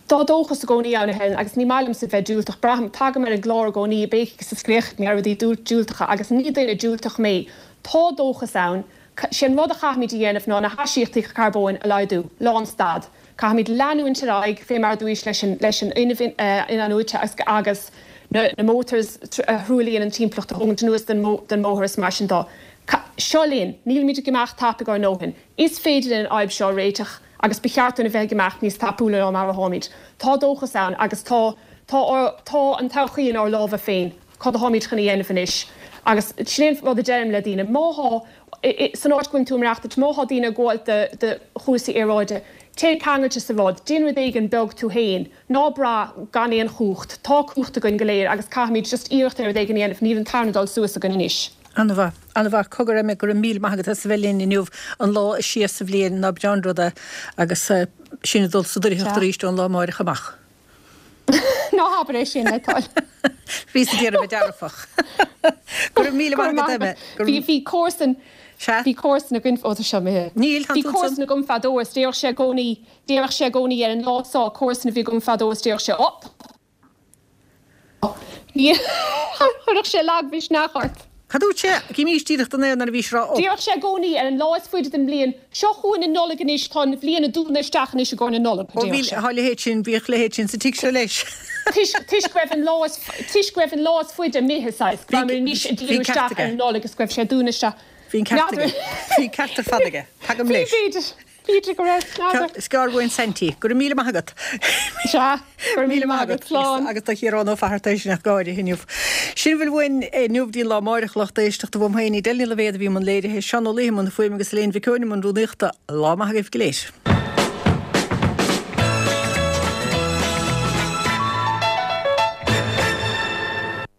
Tá dóchas i gcónaí ann, a Helen, agus ní maith liomsa bheith diúltach. Braithim, tagaim ar an gclár i gcónaí ag béicigh is ag scréachaigh ar rudaí diúltacha agus ní duine diúltach mé. Tá dóchas ann. Sé an rud a chaithfimid a dhéanamh ná na haisíochtaí carbóin a laghdú. Lánstad. Caithfimid leanúint ar aghaidh, fé mar a dúís, leis an leis an fhuinneamh in-athnuaite agus agus na na motors a thruaillíonn an timpeallacht a thógaint anuas den den mbóthar is mar sin dó. Seo linn. Nílimid ag imeacht tapaidh ár ndóthain. Is féidir linn an fhadhb seo a réiteach agus ba cheart dúinn a bheith ag imeacht níos tapúla ná mar atáimid. Tá dóchas ann agus tá, tá ár, tá an todhchaí inár lámha féin. Cad atáimid chun a dhéanamh anois? Agus sin é an rud a deirim le daoine, má thá, san áit go bhfuil tú ag maireachtaint, má thá daoine ag gabháil do, do chúrsaí aeráide, téigh ceangailte sa rud, déan rud éigin beag tú féin, ná brath gan aon chumhacht. Tá cumhacht againn go léir agus caithfimid just iarracht ar rud éigin a dhéanamh, níl an tarna dul suas againn anois. An-mhaith. An-mhaith. Cogar, Emma, go raibh míle maith agat as a bheith linn inniu, an lá is sia sa bhliain, ná breá an rud é, agus sinn ag dul sa doircheacht arís ón lá amáireach amach. Ná habair é sin, le do thoil. Bhíos ag iarraidh a bheith dearfach. Go raibh míle maith agat, Emma. Bhí, bhí comharsan, Sea? bhí comharsan againn, ó tá seo imithe. Níl, tá Bhí tú ansan. comharsan agam fadó is déarfadh sé i gcónaí, déarfadh sé i gcónaí ar an lá seo, comharsan a bhí agam fadó is déarfadh sé, ó, Chuirfeadh sé lagmhisneach ort. Cad dúirt sé? Guímís díreach don aer nuair a bhí sé rá up. Déarfadh sé i gcónaí ar an lá is faide den bhliain, Seo chugainn an Nollaig anois, tá an bhliain ag dúnadh isteach anois i gcomhair na Nollag, a déarfadh sé. Tá a leithéid sin, bhíodh a leithéid sin sa tigh seo leis. Toisc, toisc go raibh an lá is, toisc go raibh an lá is faide imithe, saghas, go rabhamar anois ag díriú isteach ar an Nollaig is go raibh sé ag dúnadh isteach. Bhí an ceart aige. Bhí an ceart ar fad aige. Tagaim leis. Bhí, b'fhéidir. B'fhéidir go raibh, n'fheadar. Is gearr uainn Saintí. Go raibh míle maith agat. Sea, go raibh míle maith agat. Slán. Agus do Chiarán Ó Fatharta eisean ach go háirithe inniu. Sin a bhfuil uainn inniu dtí an lá amáireach, lucht éisteachta uaim féin, Edel Ní Loibhéad a bhí i mbun léirithe, Seán Ó Laoithe i mbun na fuaime agus Elaine Mhic Eoin i mbun rúnaíochta. Lá maith agaibh go léir.